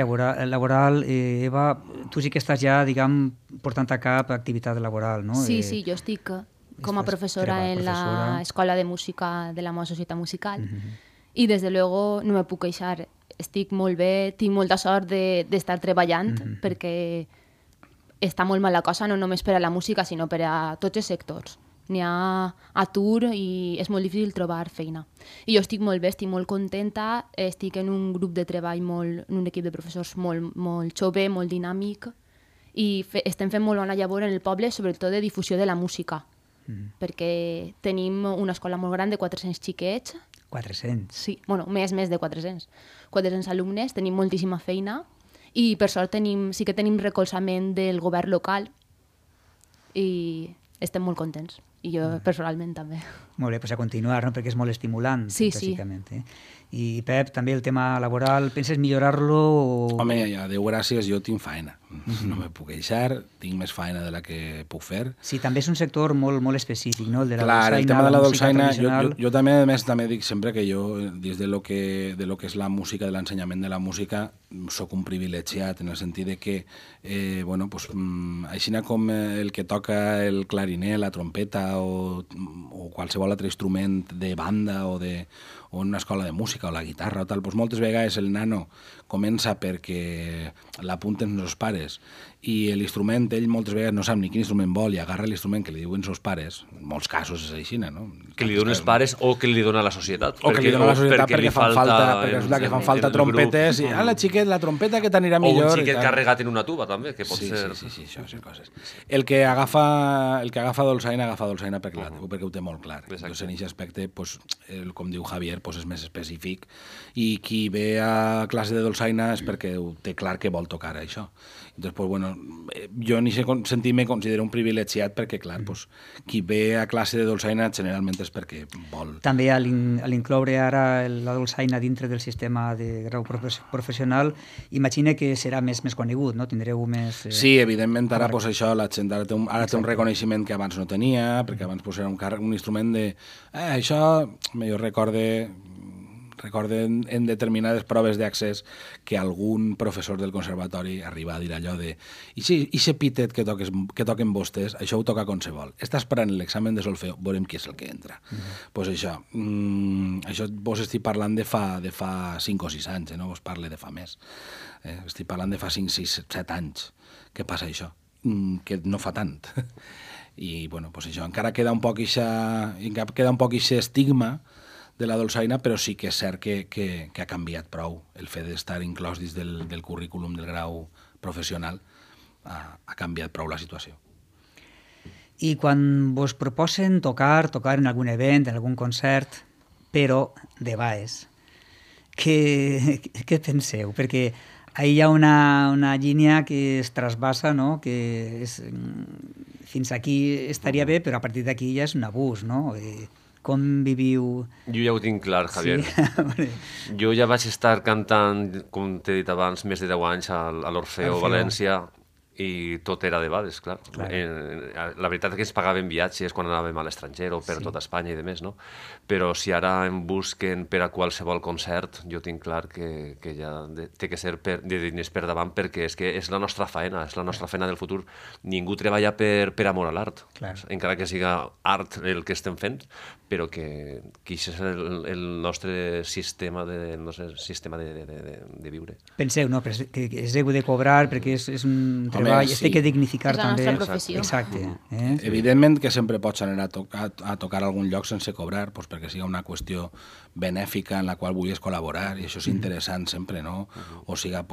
laboral, Eva, tu sí que estàs ja, diguem, portant a cap activitat laboral, no? Sí, jo estic com a professora en l'Escola de Música de la meva societat musical i, des de luego, no me puc queixar. Estic molt bé, tinc molta sort d'estar treballant perquè està molt mal la cosa, no només per a la música, sinó per a tots els sectors. N'hi ha atur i és molt difícil trobar feina. I jo estic molt bé, estic molt contenta, estic en un grup de treball, en un equip de professors molt jove, molt dinàmic, i estem fent molt bona llavor en el poble, sobretot de difusió de la música, perquè tenim una escola molt gran de 400 xiquets. 400? Sí, bueno, més de 400. 400 alumnes, tenim moltíssima feina, i per sort sí que tenim recolzament del govern local i estem molt contents, i jo personalment també. Molt bé, doncs a continuar, no? Perquè és molt estimulant, Sí, bàsicament. I Pep, també el tema laboral, penses millorar-lo? O... Home, a Déu gràcies, jo tinc faena. No me puc queixar, tinc més faena de la que puc fer. Sí, també és un sector molt, molt específic, no? El de la Clar, dolçaina, el tema de la música dolçaina, tradicional. jo també, a més, també dic sempre que jo, dins de lo que és la música, de l'ensenyament de la música, sóc un privilegiat, en el sentit de que, bueno, pues, així com el que toca el clarinet, la trompeta o qualsevol altre instrument de banda o una escola de música o la guitarra o tal, doncs moltes vegades el nano comença perquè l'apunten els pares i l'instrument, ell moltes vegades no sap ni quin instrument vol i agarra l'instrument que li diuen els pares, en molts casos és així, no? Que li donen els pares o que li dona la societat. O que li dona la societat perquè fan falta el trompetes grup. i, la xiquet, la trompeta que t'anirà O millor. un xiquet carregat en una tuba, també, que pot ser... Sí, això són coses. El que agafa dolçaina perquè ho té molt clar. Entonces, en aquest aspecte, pues, com diu Javier, pues, és més específic i qui ve a classe de dolçaina és perquè ho té clar que vol tocar això. Entonces, pues, bueno, jo en aquest sentit me considero un privilegiat perquè, clar, pues, qui ve a classe de dolçaina generalment és perquè vol. També a l'incloure ara la dolçaina dintre del sistema de grau professional, imagina que serà més conegut, no? Tindreu més... Sí, evidentment, ara pues, això, la gent ara té un reconeixement que abans no tenia, perquè abans pues, era un instrument de... això, jo recorde en determinades proves d'accés que algun professor del conservatori arriba a dir allò de i se pitet que toquen vostès, això ho toca qualsevol. Està esperant l'examen de solfeo, veurem qui és el que entra. Pues això vos estic parlant de fa 5 o 6 anys, no vos parle de fa més. Estic parlant de fa 5, 6, 7 anys que passa això, que no fa tant. I, bueno, pues això, encara queda un poc aquest estigma de la dolçaina, però sí que és cert que ha canviat prou. El fet d'estar inclòs dins del currículum del grau professional ha canviat prou la situació. I quan vos proposen tocar en algun event, en algun concert, però de baix, què penseu? Perquè ahí hi ha una línia que es trasbassa, no? Que és, fins aquí estaria bé, però a partir d'aquí ja és un abús, no? Com viviu... Jo ja ho tinc clar, Javier. Sí? Jo ja vaig estar cantant, com t'he dit abans, més de 10 anys a l'Orfeo València, i tot era de bades, clar. La veritat és que ens pagaven viatges quan anàvem a l'estranger o per tota Espanya i demés, no? Però si ara em busquen per a qualsevol concert, jo tinc clar que ja té que ser de diners per davant, perquè és que és la nostra feina, és la nostra feina del futur. Ningú treballa per amor a l'art, encara que siga art el que estem fent, però que això és el nostre sistema de viure. Penseu, no? Que es heu de cobrar perquè és un treball, es té que dignificar també. És la nostra professió. Exacte. Evidentment que sempre pots anar a tocar a algun lloc sense cobrar, doncs perquè sigui una qüestió benèfica en la qual vulguis col·laborar, i això és interessant sempre, no? O siga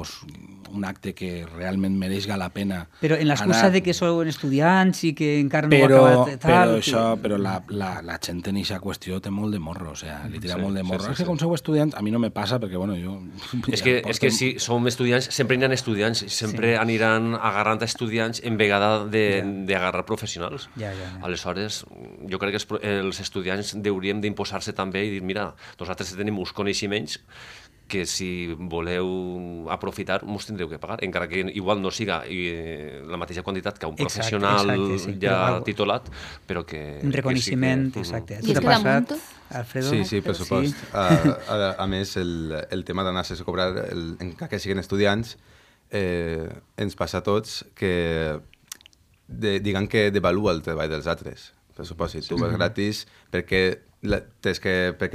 un acte que realment mereixga la pena. Però en l'excusa de que sou estudiants i que encara no ho ha acabat... Però la gent en aquesta qüestió té molt de morro, o sigui, li tira molt de morro. És que com sou estudiants, a mi no me passa, perquè, bueno, jo... És que si som estudiants, sempre aniran estudiants, sempre aniran agarrant estudiants en vegada d'agarrar professionals. Aleshores, jo crec que els estudiants hauríem d'imposar-se també i dir, mira, nosaltres tenim uns coneixements que si voleu aprofitar mos tindreu que pagar, encara que igual no siga la mateixa quantitat que un professional ja titulat, però que... Un reconeixement, exacte. I és que damunt... Alfredo? Sí, per supost. A més, el tema d'anar sense cobrar, encara que siguin estudiants, ens passa a tots que diguem que devalua el treball dels altres. Per supost, si tu vas gratis, perquè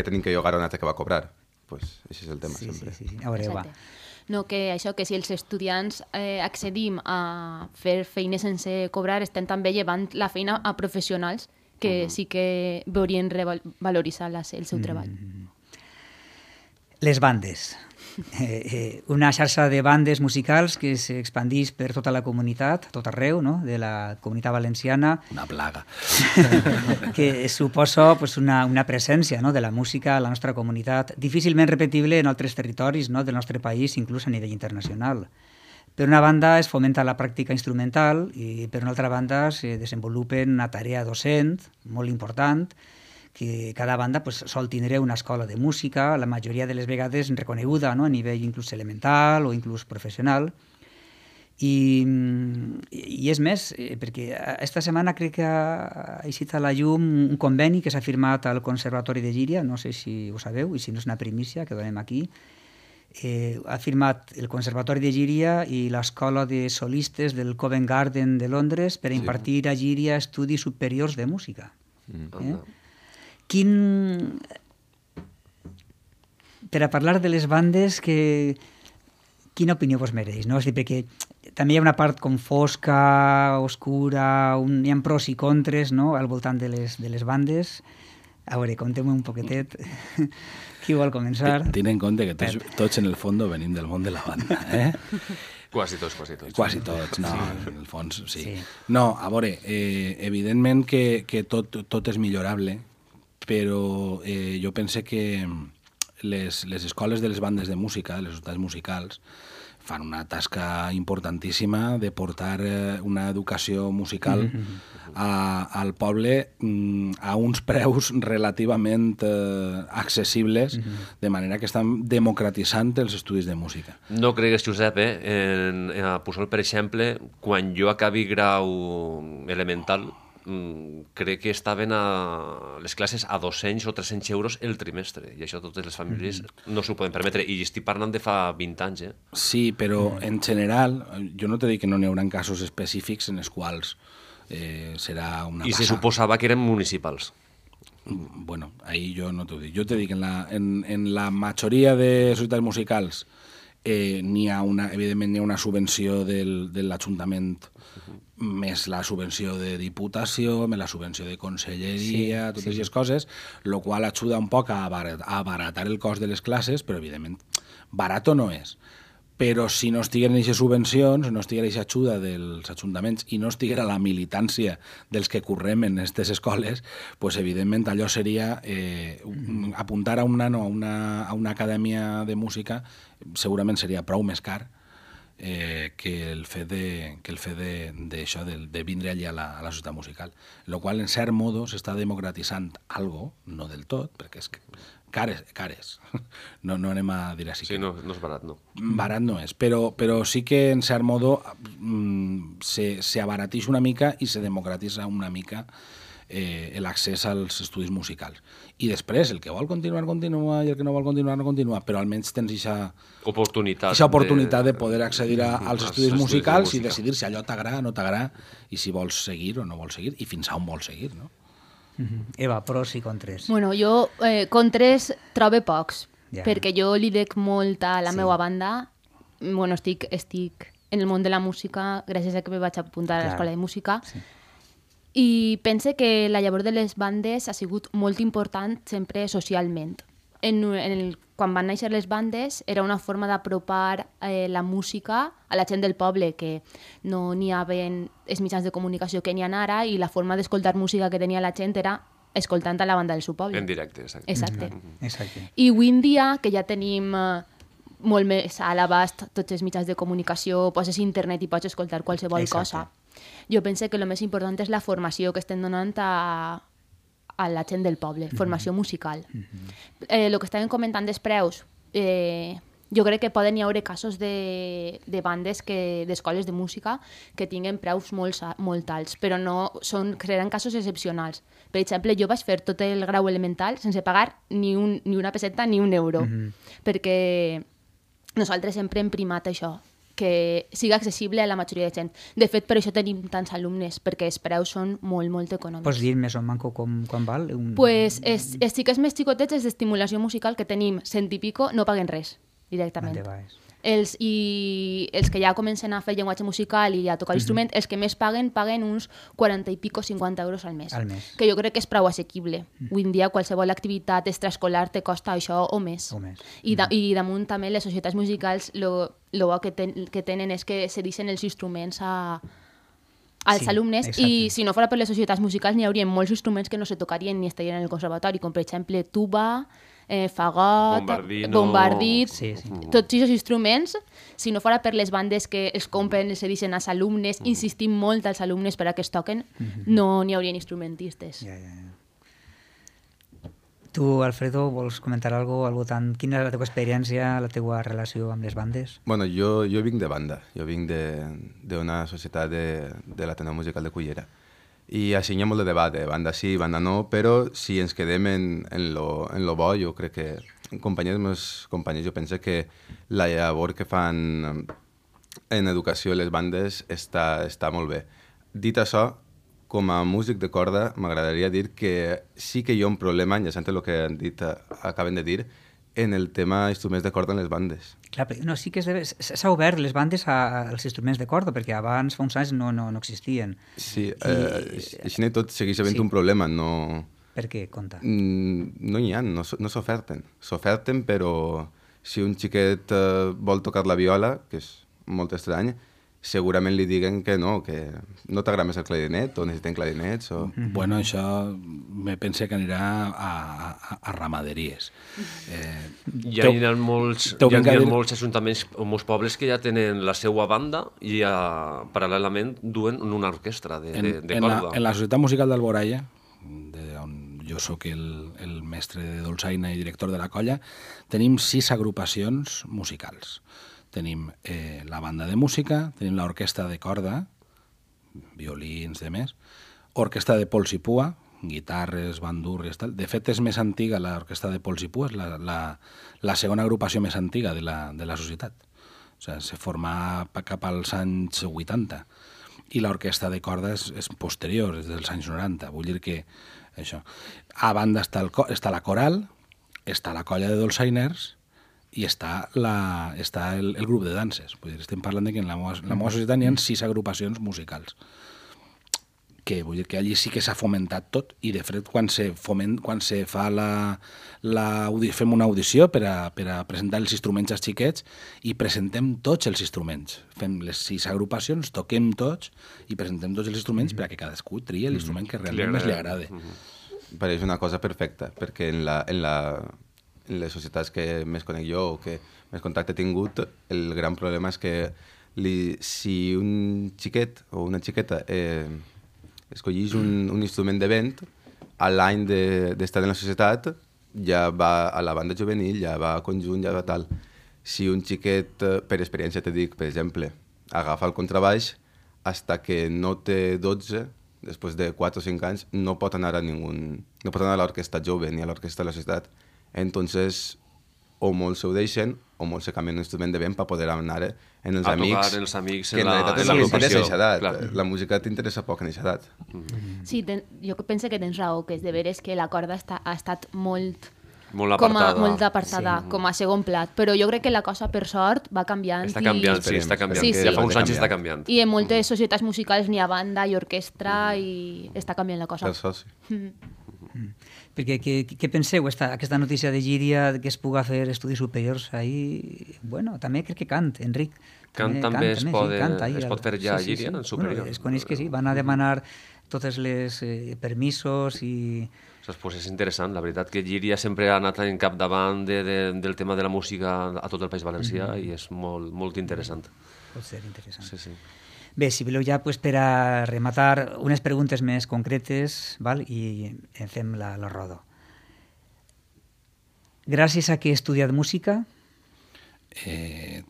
tenim que llogar a un altre que va cobrar. Pues això és el tema, sempre. Sí. A veure, va. No, que això, que si els estudiants accedim a fer feines sense cobrar, estem també llevant la feina a professionals que sí que veurien revaloritzar el seu treball. Les bandes. Una xarxa de bandes musicals que s'expandís per tota la comunitat, tot arreu, no? De la comunitat valenciana. Una plaga. Que suposa una presència, no? De la música a la nostra comunitat, difícilment repetible en altres territoris, no? Del nostre país, inclús a nivell internacional. Per una banda es fomenta la pràctica instrumental i per una altra banda se desenvolupen una tarea docent molt important que cada banda pues, sol tindre una escola de música, la majoria de les vegades reconeguda, no? A nivell inclús elemental o inclús professional. I és més, perquè esta setmana crec que ha eixit a la llum un conveni que s'ha firmat al Conservatori de Llíria, no sé si ho sabeu, i si no és una primícia que donem aquí. Ha firmat el Conservatori de Llíria i l'Escola de Solistes del Covent Garden de Londres per impartir a Llíria estudis superiors de música. Per a parlar de les bandes, quina opinió vos mereix? No? És a dir, perquè també hi ha una part com fosca, oscura, hi ha pros i contres, no? Al voltant de les bandes. A veure, contem un poquetet. Qui vol començar? Ten en compte que tots en el fons venim del món de la banda, eh? Quasi tots. Quasi tots, no, en el fons sí. No, a veure, evidentment que tot és millorable, però jo pense que les escoles de les bandes de música, les societats musicals, fan una tasca importantíssima de portar una educació musical al poble a uns preus relativament accessibles, de manera que estan democratitzant els estudis de música. No cregues, Josep, a Puçol, per exemple, quan jo acabi grau elemental, crec que estaven a les classes a 200 o 300 euros el trimestre, i això totes les famílies no s'ho poden permetre, i estic parlant de fa 20 anys. Sí, però en general, jo no t'he dit que no n'hi haurà casos específics en els quals serà una I passa. se suposava que eren municipals. Bueno, ahí jo no t'ho dic. Jo t'he dit que en la majoria de societats musicals evidentment n'hi ha una subvenció de l'Ajuntament, més la subvenció de Diputació, més la subvenció de Conselleria, totes aquestes coses, el qual ajuda un poc a abaratar el cost de les classes, però evidentment barato no és. Però si no estigueren aquestes subvencions, no estiguera aquesta ajuda dels ajuntaments i no estiguera la militància dels que correm en aquestes escoles, pues evidentment allò seria apuntar a un nano a una acadèmia de música segurament seria prou més car que el fet d'això, de vindre allà a la societat musical. El qual, en cert modo, s'està democratitzant algo, no del tot, perquè és cares. No anem a dir així. Sí, no és barat, no. Barat no és, però sí que, en cert modo, se abarateix una mica i se democratitza una mica l'accés als estudis musicals. I després, el que vol continuar, continua, i el que no vol continuar, no continua, però almenys tens aquesta oportunitat de poder accedir als estudis musicals i decidir si allò t'agrada o no t'agrada, i si vols seguir o no vols seguir, i fins a on vols seguir, no? Eva, pros i contres. Bueno, jo contres trobo pocs, perquè jo li dec molt a la meva banda. Bueno, estic en el món de la música gràcies a que me vaig apuntar a l'escola de música. I pense que la llavor de les bandes ha sigut molt important sempre socialment. Quan van néixer les bandes era una forma d'apropar la música a la gent del poble, que no n'hi havia els mitjans de comunicació que n'hi ha ara, i la forma d'escoltar música que tenia la gent era escoltant a la banda del seu poble. En directe, exacte. Exacte. I avui en dia, que ja tenim molt més a l'abast tots els mitjans de comunicació, poses internet i pots escoltar qualsevol cosa. Jo penso que el més important és la formació que estem donant a la gent del poble, formació musical. El que estàvem comentant dels preus, jo crec que poden hi haver casos de bandes d'escoles de música que tinguen preus molt alts, però no seran casos excepcionals. Per exemple, jo vaig fer tot el grau elemental sense pagar ni una peseta ni un euro, perquè nosaltres sempre hem primat això, que siga accessible a la majoria de gent. De fet, per això tenim tants alumnes, perquè els preus són molt, molt econòmics. Pots dir més o manco quan val? Pues els xiquets més xicotets, els d'estimulació musical, que tenim 100 i pico, no paguen res, directament. Els que ja comencen a fer llenguatge musical i a tocar l'instrument, els que més paguen uns 40 i pico, 50 euros al mes. Que jo crec que és prou assequible. Avui en dia qualsevol activitat extraescolar te costa això o més. I damunt també les societats musicals el bo que tenen és que se deixen els instruments als alumnes, i si no fora per les societats musicals n'hi hauria molts instruments que no se tocarien ni estarien en el conservatori, com per exemple tuba, fagot, bombardit, tots aquests instruments, si no fora per les bandes que els compren, els deixen als alumnes, insistim molt als alumnes per a que es toquen, no n'hi haurien instrumentistes. Tu, Alfredo, vols comentar alguna cosa? Quina és la teva experiència, la teva relació amb les bandes? Bueno, jo vinc de banda, jo vinc d'una societat de l'Ateneu Musical de Cullera. I així hi ha molt de debat, banda sí, banda no, però si ens quedem en lo bo, jo crec que meus companys, jo penso que la llavor que fan en educació les bandes està molt bé. Dit això, com a músic de corda, m'agradaria dir que sí que hi ha un problema, enllaçant el que acaben de dir, en el tema instruments de corda en les bandes. Clar, no, sí que s'ha obert les bandes als instruments de corda, perquè abans, fa uns anys, no existien. Sí, així tot segueix havent un problema, no... Per què? Conta. No hi ha, no s'oferten. S'oferten, però si un xiquet vol tocar la viola, que és molt estrany, segurament li diguen que no t'agrada més el clarinet o necessiten clarinets o... Bueno, això me pense que anirà a ramaderies. Hi ha molts ajuntaments o molts pobles que ja tenen la seva banda i paral·lelament duen una orquestra de corda. En la Societat Musical d'Alboraya, on jo sóc el mestre de dolçaina i director de la colla, tenim 6 agrupacions musicals. Tenim la banda de música, tenim l'orquestra de corda, violins, de més, orquestra de pols i pua, guitarres, bandurries, tal. De fet, és més antiga l'orquestra de pols i pua, és la segona agrupació més antiga de la societat. O sigui, se formà cap als anys 80. I l'orquestra de corda és posterior, és dels anys 90. Vull dir que això. A banda està la coral, està la colla de dolçainers, i està el grup de danses. Vull dir, estem parlant de que en la meva societat hi ha 6 agrupacions musicals. Que vull dir que allí sí que s'ha fomentat tot, i de fet quan se fa fem una audició per a presentar els instruments als xiquets, i presentem tots els instruments. Fem les 6 agrupacions, toquem tots i presentem tots els instruments perquè cadascú tria l'instrument que realment més li agrada. Pareix una cosa perfecta, perquè en les societats que més conec jo o que més contacte he tingut, el gran problema és que si un xiquet o una xiqueta escollís un instrument de vent, a l'any d'estar en la societat ja va a la banda juvenil, ja va a conjunt, ja va tal. Si un xiquet, per experiència te dic, per exemple, agafa el contrabaix, hasta que no té 12, després de 4 o 5 anys, no pot anar a l'orquestra jove ni a l'orquestra de la societat. Entonces, o molts ho deixen o molts se canvien un instrument de vent per poder anar en els amics. Els amics que en realitat és el que interessa a aquesta edat. La música t'interessa poc en aquesta edat. Sí, jo penso que tens raó, que és de veres que la corda ha estat molt apartada, sí. Com a segon plat, però jo crec que la cosa, per sort, va canviant. Està canviant. Sí. Ja fa uns anys està canviant. I en moltes societats musicals n'hi ha banda i orquestra i està canviant la cosa. Per sort, sí. Perquè què penseu, aquesta notícia de Llíria, que es puga fer estudis superiors ahí? Bueno, també crec que Cant, Enric. També es pot fer ja a Llíria, en superior. Bueno, es coneix que sí, van a demanar totes les permisos i... Pues és interessant, la veritat que Llíria sempre ha anat en capdavant del tema de la música a tot el País Valencià i és molt, molt interessant. Pot ser interessant. Sí. Bé, si voleu ja per a rematar unes preguntes més concretes, val? I fem la roda. Gràcies a què he estudiat música?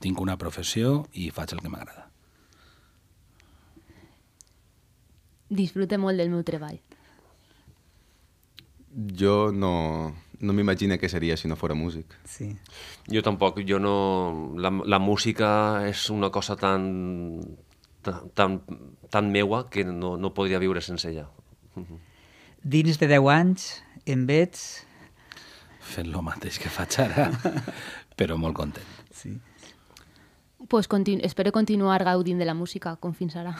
Tinc una professió i faig el que m'agrada. Disfrute molt del meu treball. Jo no m'imagino què seria si no fora músic. Sí. Jo tampoc. La música és una cosa tan meua que no podria viure sense ella. Dins de 10 anys em veig... Fent el mateix que faig ara, però molt content. Sí. Pues espero continuar gaudint de la música, com fins ara.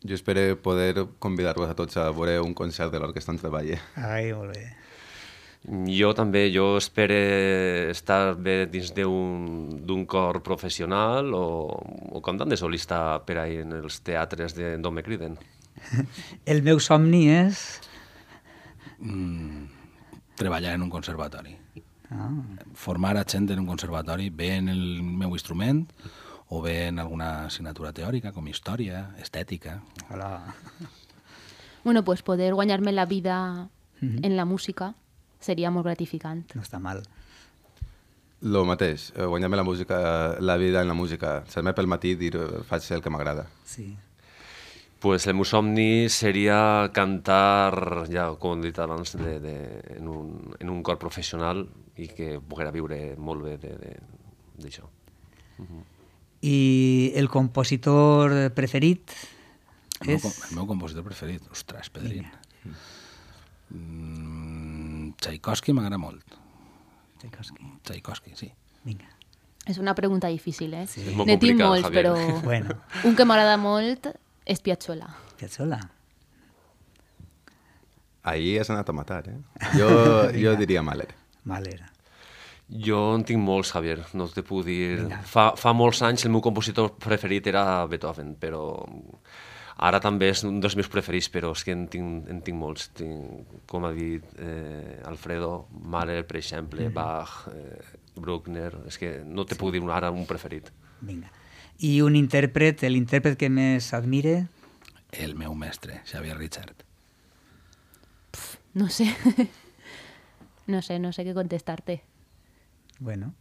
Jo espero poder convidar-vos a tots a veure un concert de l'Orquestra en Treball. Ai, molt bé. Jo també, jo espero estar bé dins d'un cor professional o cantant de solista per ahí en els teatres d'on me criden. El meu somni és... treballar en un conservatori. Formar a gent en un conservatori, bé en el meu instrument o bé en alguna assignatura teòrica, com història, estètica. Hola. Bueno, pues poder guanyar-me la vida en la música seria molt gratificant. No està mal. Lo mateix, guanyar-me la música, la vida en la música. Ser-me pel matí i dir, faig el que m'agrada. Sí. Pues el meu somni seria cantar, ja com he dit abans, en un cor professional i que poguera viure molt bé d'això. I el compositor preferit és... El meu compositor preferit? Ostres, Pedrín. Tchaikovsky m'agrada molt. Tchaikovsky, sí. Vinga. És una pregunta difícil, eh? És molt Ne tinc complicada, molts, Javier. però Bueno. un que m'agrada molt és Piazzolla. Piazzolla. Ahir has anat a matar, eh? Jo diria Mahler. Mahler. Jo en tinc molts, Javier, no te puc dir... Vinga. Fa molts anys el meu compositor preferit era Beethoven, però ara també és un dels meus preferits, però és que en tinc molts. Com ha dit Alfredo, Mahler, per exemple, Bach, Bruckner... És que no te puc dir ara un preferit. Vinga. I un intèrpret, l'intèrpret que més admire? El meu mestre, Xavier Richard. No sé. No sé què contestar-te. Bueno,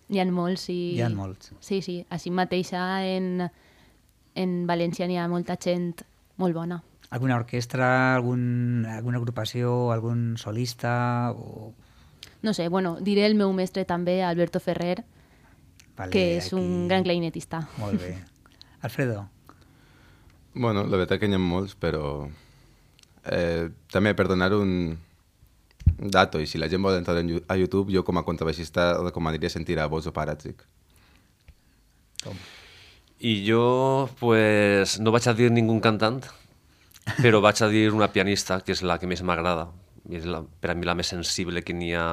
N'hi ha molts i... hi ha molts. Sí, així mateixa en València n'hi ha molta gent molt bona. Alguna orquestra, alguna agrupació, algun solista? O... No sé, bueno, diré el meu mestre també, Alberto Ferrer, Vale, que és un gran clarinetista. Molt bé. Alfredo? Bueno, la veritat que n'hi ha molts, però també per donar un dato, i si la gent vol entrar a YouTube, jo com a contrabaixista recomanaria sentir a Bozo Paratzik. I jo, pues, no vaig a dir ningú cantant, però vaig a dir una pianista, que és la que més m'agrada, i és per a mi la més sensible que n'hi ha,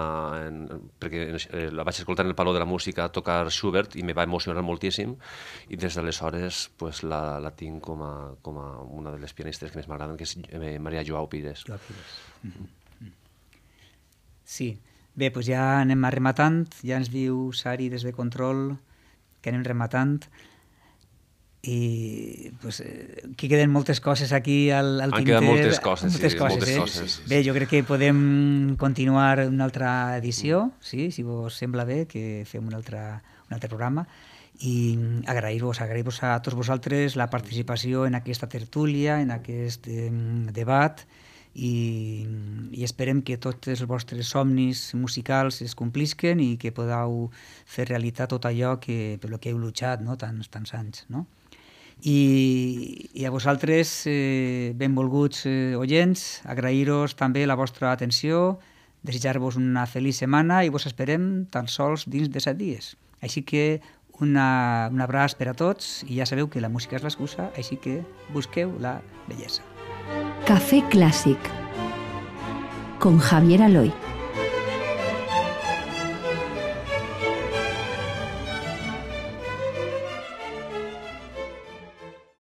perquè la vaig escoltar en el Palau de la Música tocar Schubert i me va emocionar moltíssim, i des d'aleshores pues, la tinc com a una de les pianistes que més m'agraden, que és Maria Joao Pires. Joao Pires. Sí. Bé, doncs ja anem rematant. Ja ens diu Sari des de Control que anem rematant. I pues, aquí queden moltes coses aquí al tinter. Han quedat moltes coses. Bé, jo crec que podem continuar una altra edició, sí, si vos sembla bé, que fem un altre programa, i agrair-vos a tots vosaltres la participació en aquesta tertúlia, en aquest debat, i esperem que tots els vostres somnis musicals es complisquen i que podeu fer realitat tot allò per lo que heu luchat, no? tants anys, no? I a vosaltres, benvolguts oients, agrair-vos també la vostra atenció, desitjar-vos una feliç setmana i vos esperem tan sols dins de 7 dies. Així que un abraç per a tots i ja sabeu que la música és l'excusa, així que busqueu la bellesa. Café Clásic con Javier Aloy.